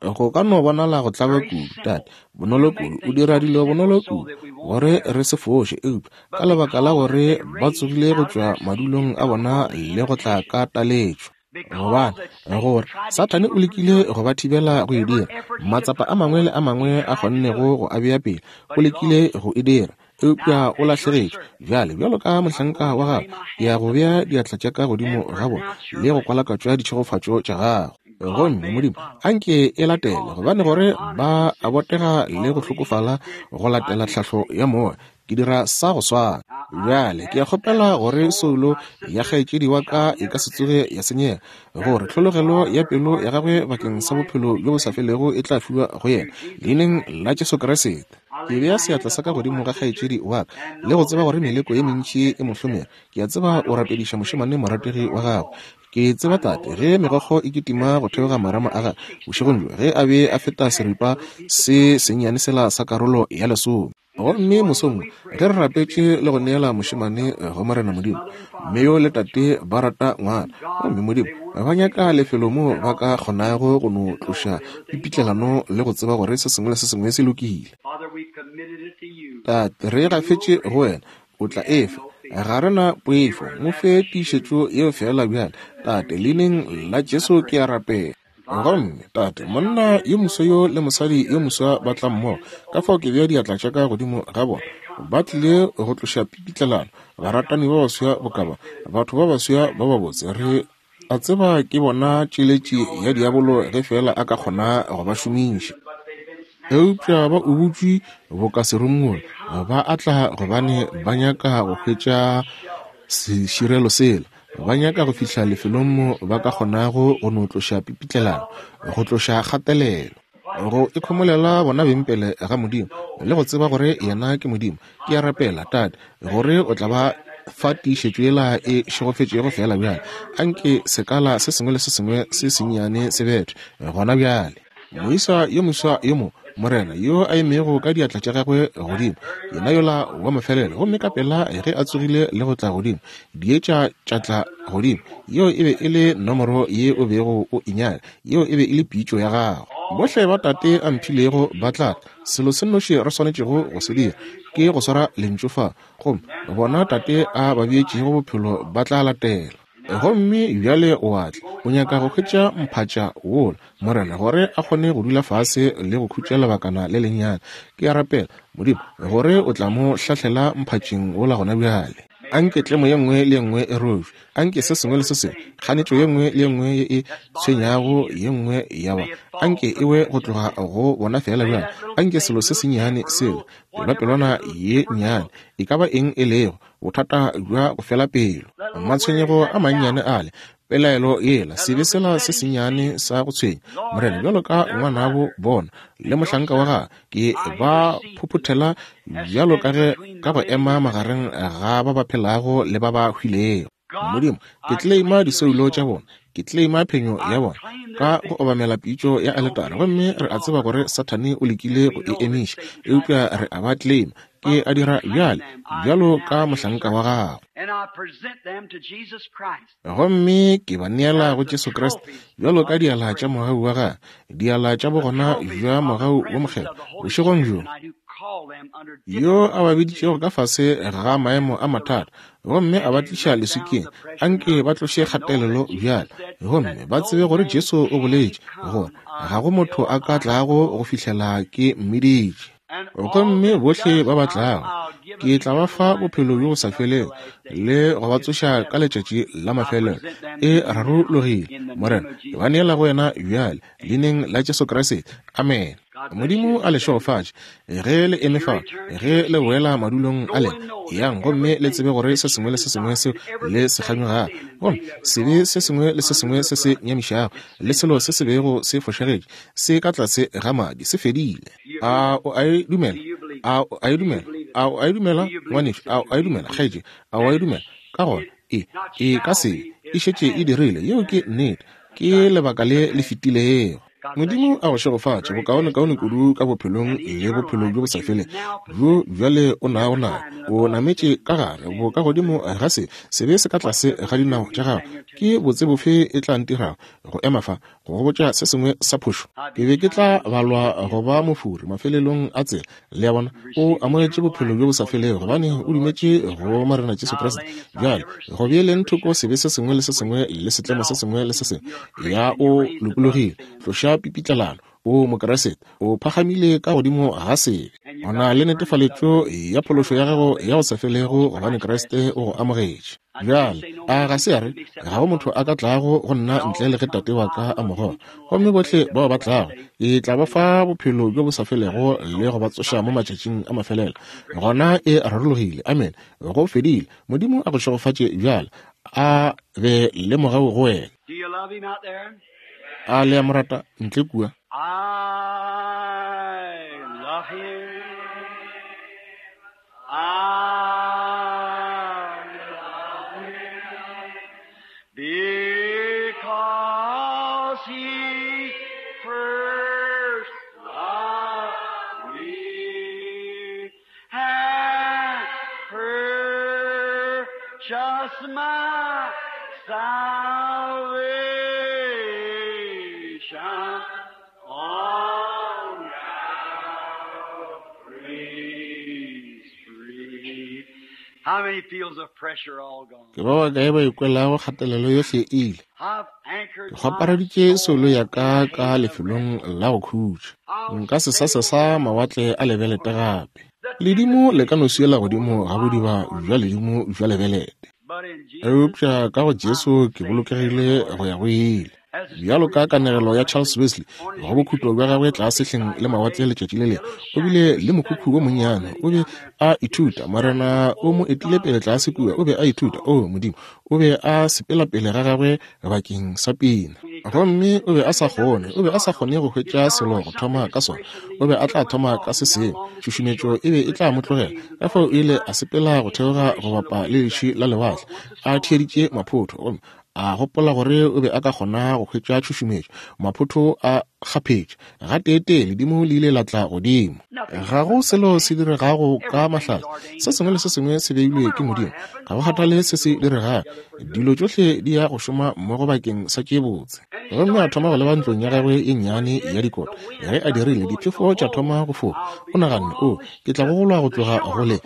Go ka no bonala go tlaba kudu, Tate, bonolo kudu, o dira dilo bonolo kudu gore re se foše, eupša ka lebaka la gore ba tsogile go tšwa madulong a bona le go tla ka taletšo. Gobane gore Sathane o lekile go ba thibela go e dira, matsapa a mangwe le a mangwe a kgonnego go a bea pele, o lekile go e dira, eupša o lahlegetšwe. Bjale, bjalo ka mohlanka wa gago, ke ya go bea diatla tša ka godimo ga bona le go kwalakatšwa ditšhegofatšo tša gago. Gomme, Modimo, anke e latele, gobane gore ba a botega le go hlokofala go latela tlhahlo ya Moya. Ke dira sa go swana. Bjale, ke a kgopela gore soulo ya kgaetšedi wa ka e ka se tsoge ya senyega, gore tlhologelo ya pelo ya gagwe bakeng sa bophelo bjo bo sa felego e tla fiwa go yena, Leineng la Jesu Kriste. Ke bea seatla sa ka godimo ga kgaetšedi wa ka, le go tseba gore meleko ye mentši e mo hlomere. Ke a tseba o rapediša mošemane morategi wa gagwe. Ke tseba, Tate, ge megokgo e kitima go theoga marama a gagwe bošegong bjo, ge a be a feta seripa se sennyane sela sa karolo ya lesome. Gomme mosong wo, ge re rapetše le go neela mošemane go Morena Modimo, mme yo le tate ba rata ngwana, gomme Modimo, ba nyaka lefelo moo ba ka kgonago go no tloša pipitlelano le go tseba gore se sengwe le se sengwe se lokile. Tate, re e gafetše go Wena, O tla e fa. Ga re na poifo. Mo fe tiišetšo yeo feela bjale. Tate, Leineng la Jesu ke a rapela. Gomme, Tate, monna yo moswa yo le mosadi yo moswa ba tla mmogo, ka fao ke bea diatla tša ka godimo ga bona. Ba tlile go tloša pipitlelano, baratani ba baswa boka ba, batho ba baswa ba babotse. Re a tseba ke bona tšeletši ya diabolo ge feela a ka kgona go ba šomiša. Eupša ba ubutšwe boka serumula, ba a tla gobane ba nyaka go hwetša seširelo sela. Ba nyaka go fihla lefelong mo ba ka kgonago go no tloša pipitlelano, go tloša kgatelelo, go ikhomolela bona beng pele ga Modimo, le go tseba gore Yena ke Modimo. Ke a rapela, Tate, gore O tla ba fa tiišetšo yela e šegofetšego feela bjale. Anke sekala se sengwe le se sengwe se sennyane se bethwe gona bjale. Moisa yo moswa yo mo, Morena, yo a emego ka diatla tša gagwe godimo, yena yola wa mafelelo, gomme ka pela ge a tsogile le go tla godimo, dietša tša tla godimo. Yeo e be e le nomoro ye o bego o e nyaka. Yeo e be e le pitšo ya gago. Bohle ba Tate a mphilego ba tla tla. Selo se nnoši re swanetšego go se dira ke go swara Lentšu fa, gomme bona Tate a ba beetšego bophelo ba tla latela. Gomme bjale o a tla, o nyaka go hwetša mphatša wola, Morena, gore a kgone go dula fase le go khutša lebakana le lennyane. Ke a rapela, Modimo, gore o tla mo hlahlela mphatšeng wola gona bjale. Anke tlemo ye nngwe le ye nngwe e robje. Anke se sengwe le se sengwe, kganetšo ye nngwe le ye nngwe ye e tshwenyago ye nngwe ya ba, anke e we go tloga go bona feela bjale. Anke selo se sennyane sela, pelwapelwana ye nnyane, e ka ba eng e lego, bothata bja go fela pelo, matshwenyego a mannyane ale, pelaelo yela, sebe sela se sennyane sa go tshwenya, Morena, bjalo ka ngwanabo bona le mohlanka wa gagwe, ke ba phophothela bjalo ka ge ka go ema magareng ga ba ba phelago le ba ba hwilego. Modimo, ke tleleima disoulo tša bona, ke tleleima phenyo ya bona ka go obamela pitšo ya aletara, gomme re a tseba gore Sathane o lekile go e emiša, eupša re a ba tleleima. Ke a dira bjale, bjalo ka mohlanka wa gago. Gomme ke ba neela go Jesu Kriste, bjalo ka diala tša mogau wa gagwe, diala tša bogona bja mogau wo mokgethwa, bošegong bjo, yo a ba biditšego ka fase ga maemo a mathata, gomme a ba tliša leswikeng. Anke ba tloše kgatelelo bjale, gomme ba tsebe gore Jesu o boletše gore ga go motho a ka tlago go fihlela ke mmiditše. Gomme bohle ba ba tlago, ke tla ba fa bophelo bjo bo sa felego le go ba tsoša ka letšatši la mafelelo. E rarologile, Morena. Ke ba neela go wena bjale, Leineng la Jesu Kriste. Amene. Modimo a le šegofatše ge le eme fa, ge le boela madulong a lena. Eyang gomme le tsebe gore se sengwe le se sengwe seo le se kganyogago, gomme sebe se sengwe le se sengwe se se nyamišago, le selo se se bego se fošagetše, se ka tlase ga madi, se fedile. A o a e dumela? A o a e dumela? A o a e dumela, ngwanešu? A o a e dumela, kgaetšedi? A o a e dumela? Ka gona, e, e ka se, e šetše e dirile. Yeo ke nnete. Ke lebaka le le fetilego. Modimo a go šegofatše, bokaonekaone kudu ka bophelong le bophelo bjo bo sa feleng bjo bjale o nago nago. O nametše ka gare, bo ka godimo ga se, sebe se ka tlase ga dinao tša gago. Ke botse bofe e tla ntirago go ema fa? go go botša se sengwe sa phošo, ke be ke tla balwa go ba mofori mafelelong a tsela. Le a bona? O amogetše Bophelo bjo bo sa felego gobane o dumetše go Morena Jesu Kriste. Bjale, go beeleng thoko sebe se sengwe le se sengwe le setlemo se sengwe le se sengwe, ya o lokologile. Tloša pipitlelano. O Mokriste, o phagamile ka godimo ga sebe. O na le netefaletšo ya phološo ya gago ya go sa felego gobane Kriste o go amogetše. Bjale, a ga se ya re, Ga go motho a ka tlago go nna ntle le ge Tate wa ka a mo goga? Gomme bohle bao ba tlago, ke tla ba fa bophelo bjo bo sa felego le go ba tsoša mo matšatšing a mafelelo. Gona e rarologile. Amene. Go fedile. Modimo a go šegofatše bjale. A be le mogau go wena. A le a mo rata ntle kua? I love him. I love him because he first loved me and purchased my salvation on Calvary's tree. How many feels of pressure all gone? Ke ba bakae ba ikwelago kgatelelo yohle e ile? I've anchored Ke my kgwapareditše soul soulo ya in ka the ka haven of lefelong rest. la go khutša. I'll Nka se sa sail sesa down mawatle a lebelete gape. the Ledimo le ka no tempest swiela before the godimo ga wild bodiba bja armies, ledimo bja lebelete. but in Jesus Eupša ka go I'm Jesu ke safe bolokegile evermore. go ya go ile. As the Bjalo story ka is told kanegelo of ya Charles Wesley Wesley, on his go bokhutlo retreat bja down gagwe to the tlase hleng seaside le one mawatle day, letšatši le a lengwe, little o shack bile he was le mokhukhu studying wo the Lord monnyane. living O be down there. a He was ithuta. studying Morena o mo old etile God pele tlase singing kua. O be a little ithuta. song. O Modimo, o be a sepela pele ga gagwe bakeng sa pina. Gomme o be a sa kgone, o be a sa kgone go hwetša selo go thoma ka sona. O be a tla thoma ka se sengwe. Tšhušumetšo e be e tla mo tlogela. Ka fao o ile a sepela go theoga go bapa le leši la lewatle, a theeditše maphotho, gomme a gopola gore o be a ka kgona go hwetša tšhušumetšo. Maphotho a kgaphetše. Gateetee ledimo le ile la tla godimo. Ga go selo se diregago ka mahlatse. Se sengwe le se sengwe se beilwe ke Modimo. Ga go kgathale se se diregago, dilo tšohle di ya go šoma mmogo bakeng sa tše botse. Gomme a thoma go leba ntlong ya gagwe ye nnyane ya dikota. Ge a dirile, diphefo tša thoma go foka. O naganne, O, ke tla gogolwa go tloga go le,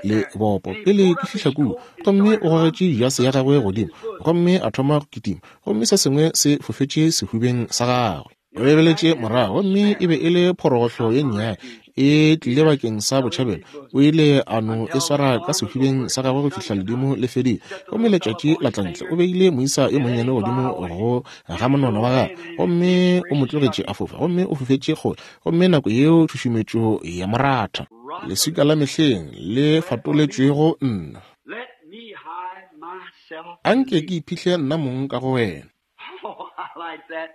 le, lebopo pele ke fihla kua. Gomme o gogetše jase ya gagwe godimo, gomme a thoma go kitima, gomme se sengwe se fofetše sehubeng sa gagwe. O lebeletše morago, gomme e be e le phorogohlo ye nnyane e tlile bakeng sa botšhabelo. O ile a no e swara ka sehubeng sa gagwe go fihla ledimo le fedile, gomme letšatši la tla ntle. O beile moisa yo monnyane godimo go ga monwana wa gagwe, gomme o mo tlogetše a fofa, gomme o fofetše kgole, gomme nako yeo tšhušumetšo ya mo ratha. Leswika la mehleng le fatoletšwego nna. Let me hide myself A in nke thee. ke iphihle nna mong ka go wena. Oh, I like that.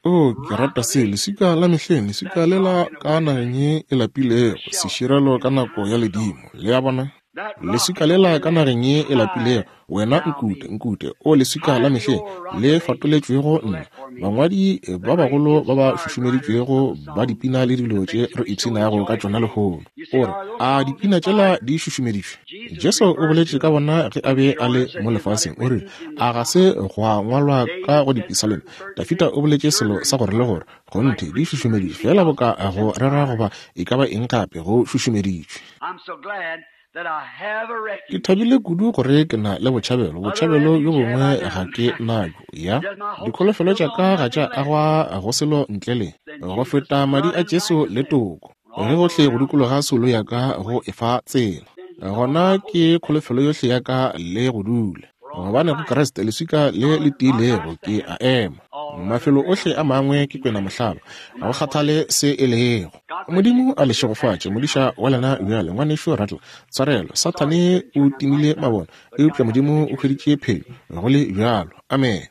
O, ke Rock rata of se, ages, leswika la mehleng, leswika that lela rock in a ka weary nageng land, ye e lapilego, a shelter seširelo in ka the nako time ya of storm. ledimo. Le a bona? That rock Leswika in a lela weary ka land, nageng ye e lapilego, hide wena thou nkute, me. nkute, o leswika la Hide me, mehleng, O rock le of ages, fatoletšwego nna. collect for me. Bangwadi The ba great bagolo ba ba inspired writers of šušumeditšwego the ba songs, dipina le the dilo tše things re we so ipshinago ka enjoy tšona today. lehono. You say, O re, are those a songs dipina tšela inspired? di šušumeditšwe? Jesus Jesu o referred boletše to ka them. bona ge a When be he a le said, mo Is not lefaseng. it O rile, written in the a ga se Psalms? gwa ngwalwa ka David go said dipisalome? certain, certain Dafida things. o boletše Sure, selo they're sa gore le inspired. gore. Like Kgonthe, di preaching or šušumeditšwe anything feela else, boka it's go rera inspired. goba e ka ba eng gape, go šušumeditšwe. I'm so glad that I have a Ke refuge. thabile kudu gore ke na le botšhabelo, Other botšhabelo bjo refuge have bongwe I ga none. ke nabjo. Ya, Just my hopes dikholofelo built tša on ka ga nothing tša less agwa go selo ntle le than go Jesus' feta madi blood a and Jesu le righteousness. toko, When ge all gohle go around dikologa soulo ya ka go e fa tsela. then he saw Gona my hopes ke kholofelo yohle ya ka le go dula. for on Gobane go Christ, Kriste leswika le le solid rock I tiilego ke stand. a ema. All other Mafelo ground ohle a mangwe ke is kwena sinking mohlaba, sand. ga No go matter what it kgathale is. se e lego. God bless you. Modimo a le Your šegofatše, pastor modiša now. wa lena bjale, ngwanešu Rattle. Tshwarelo, Sorry Sathane couldn't o turn them timile lights on, mabone, but eupša God got the Modimo o picture. hweditše phenyo, go le bjalo. Amene.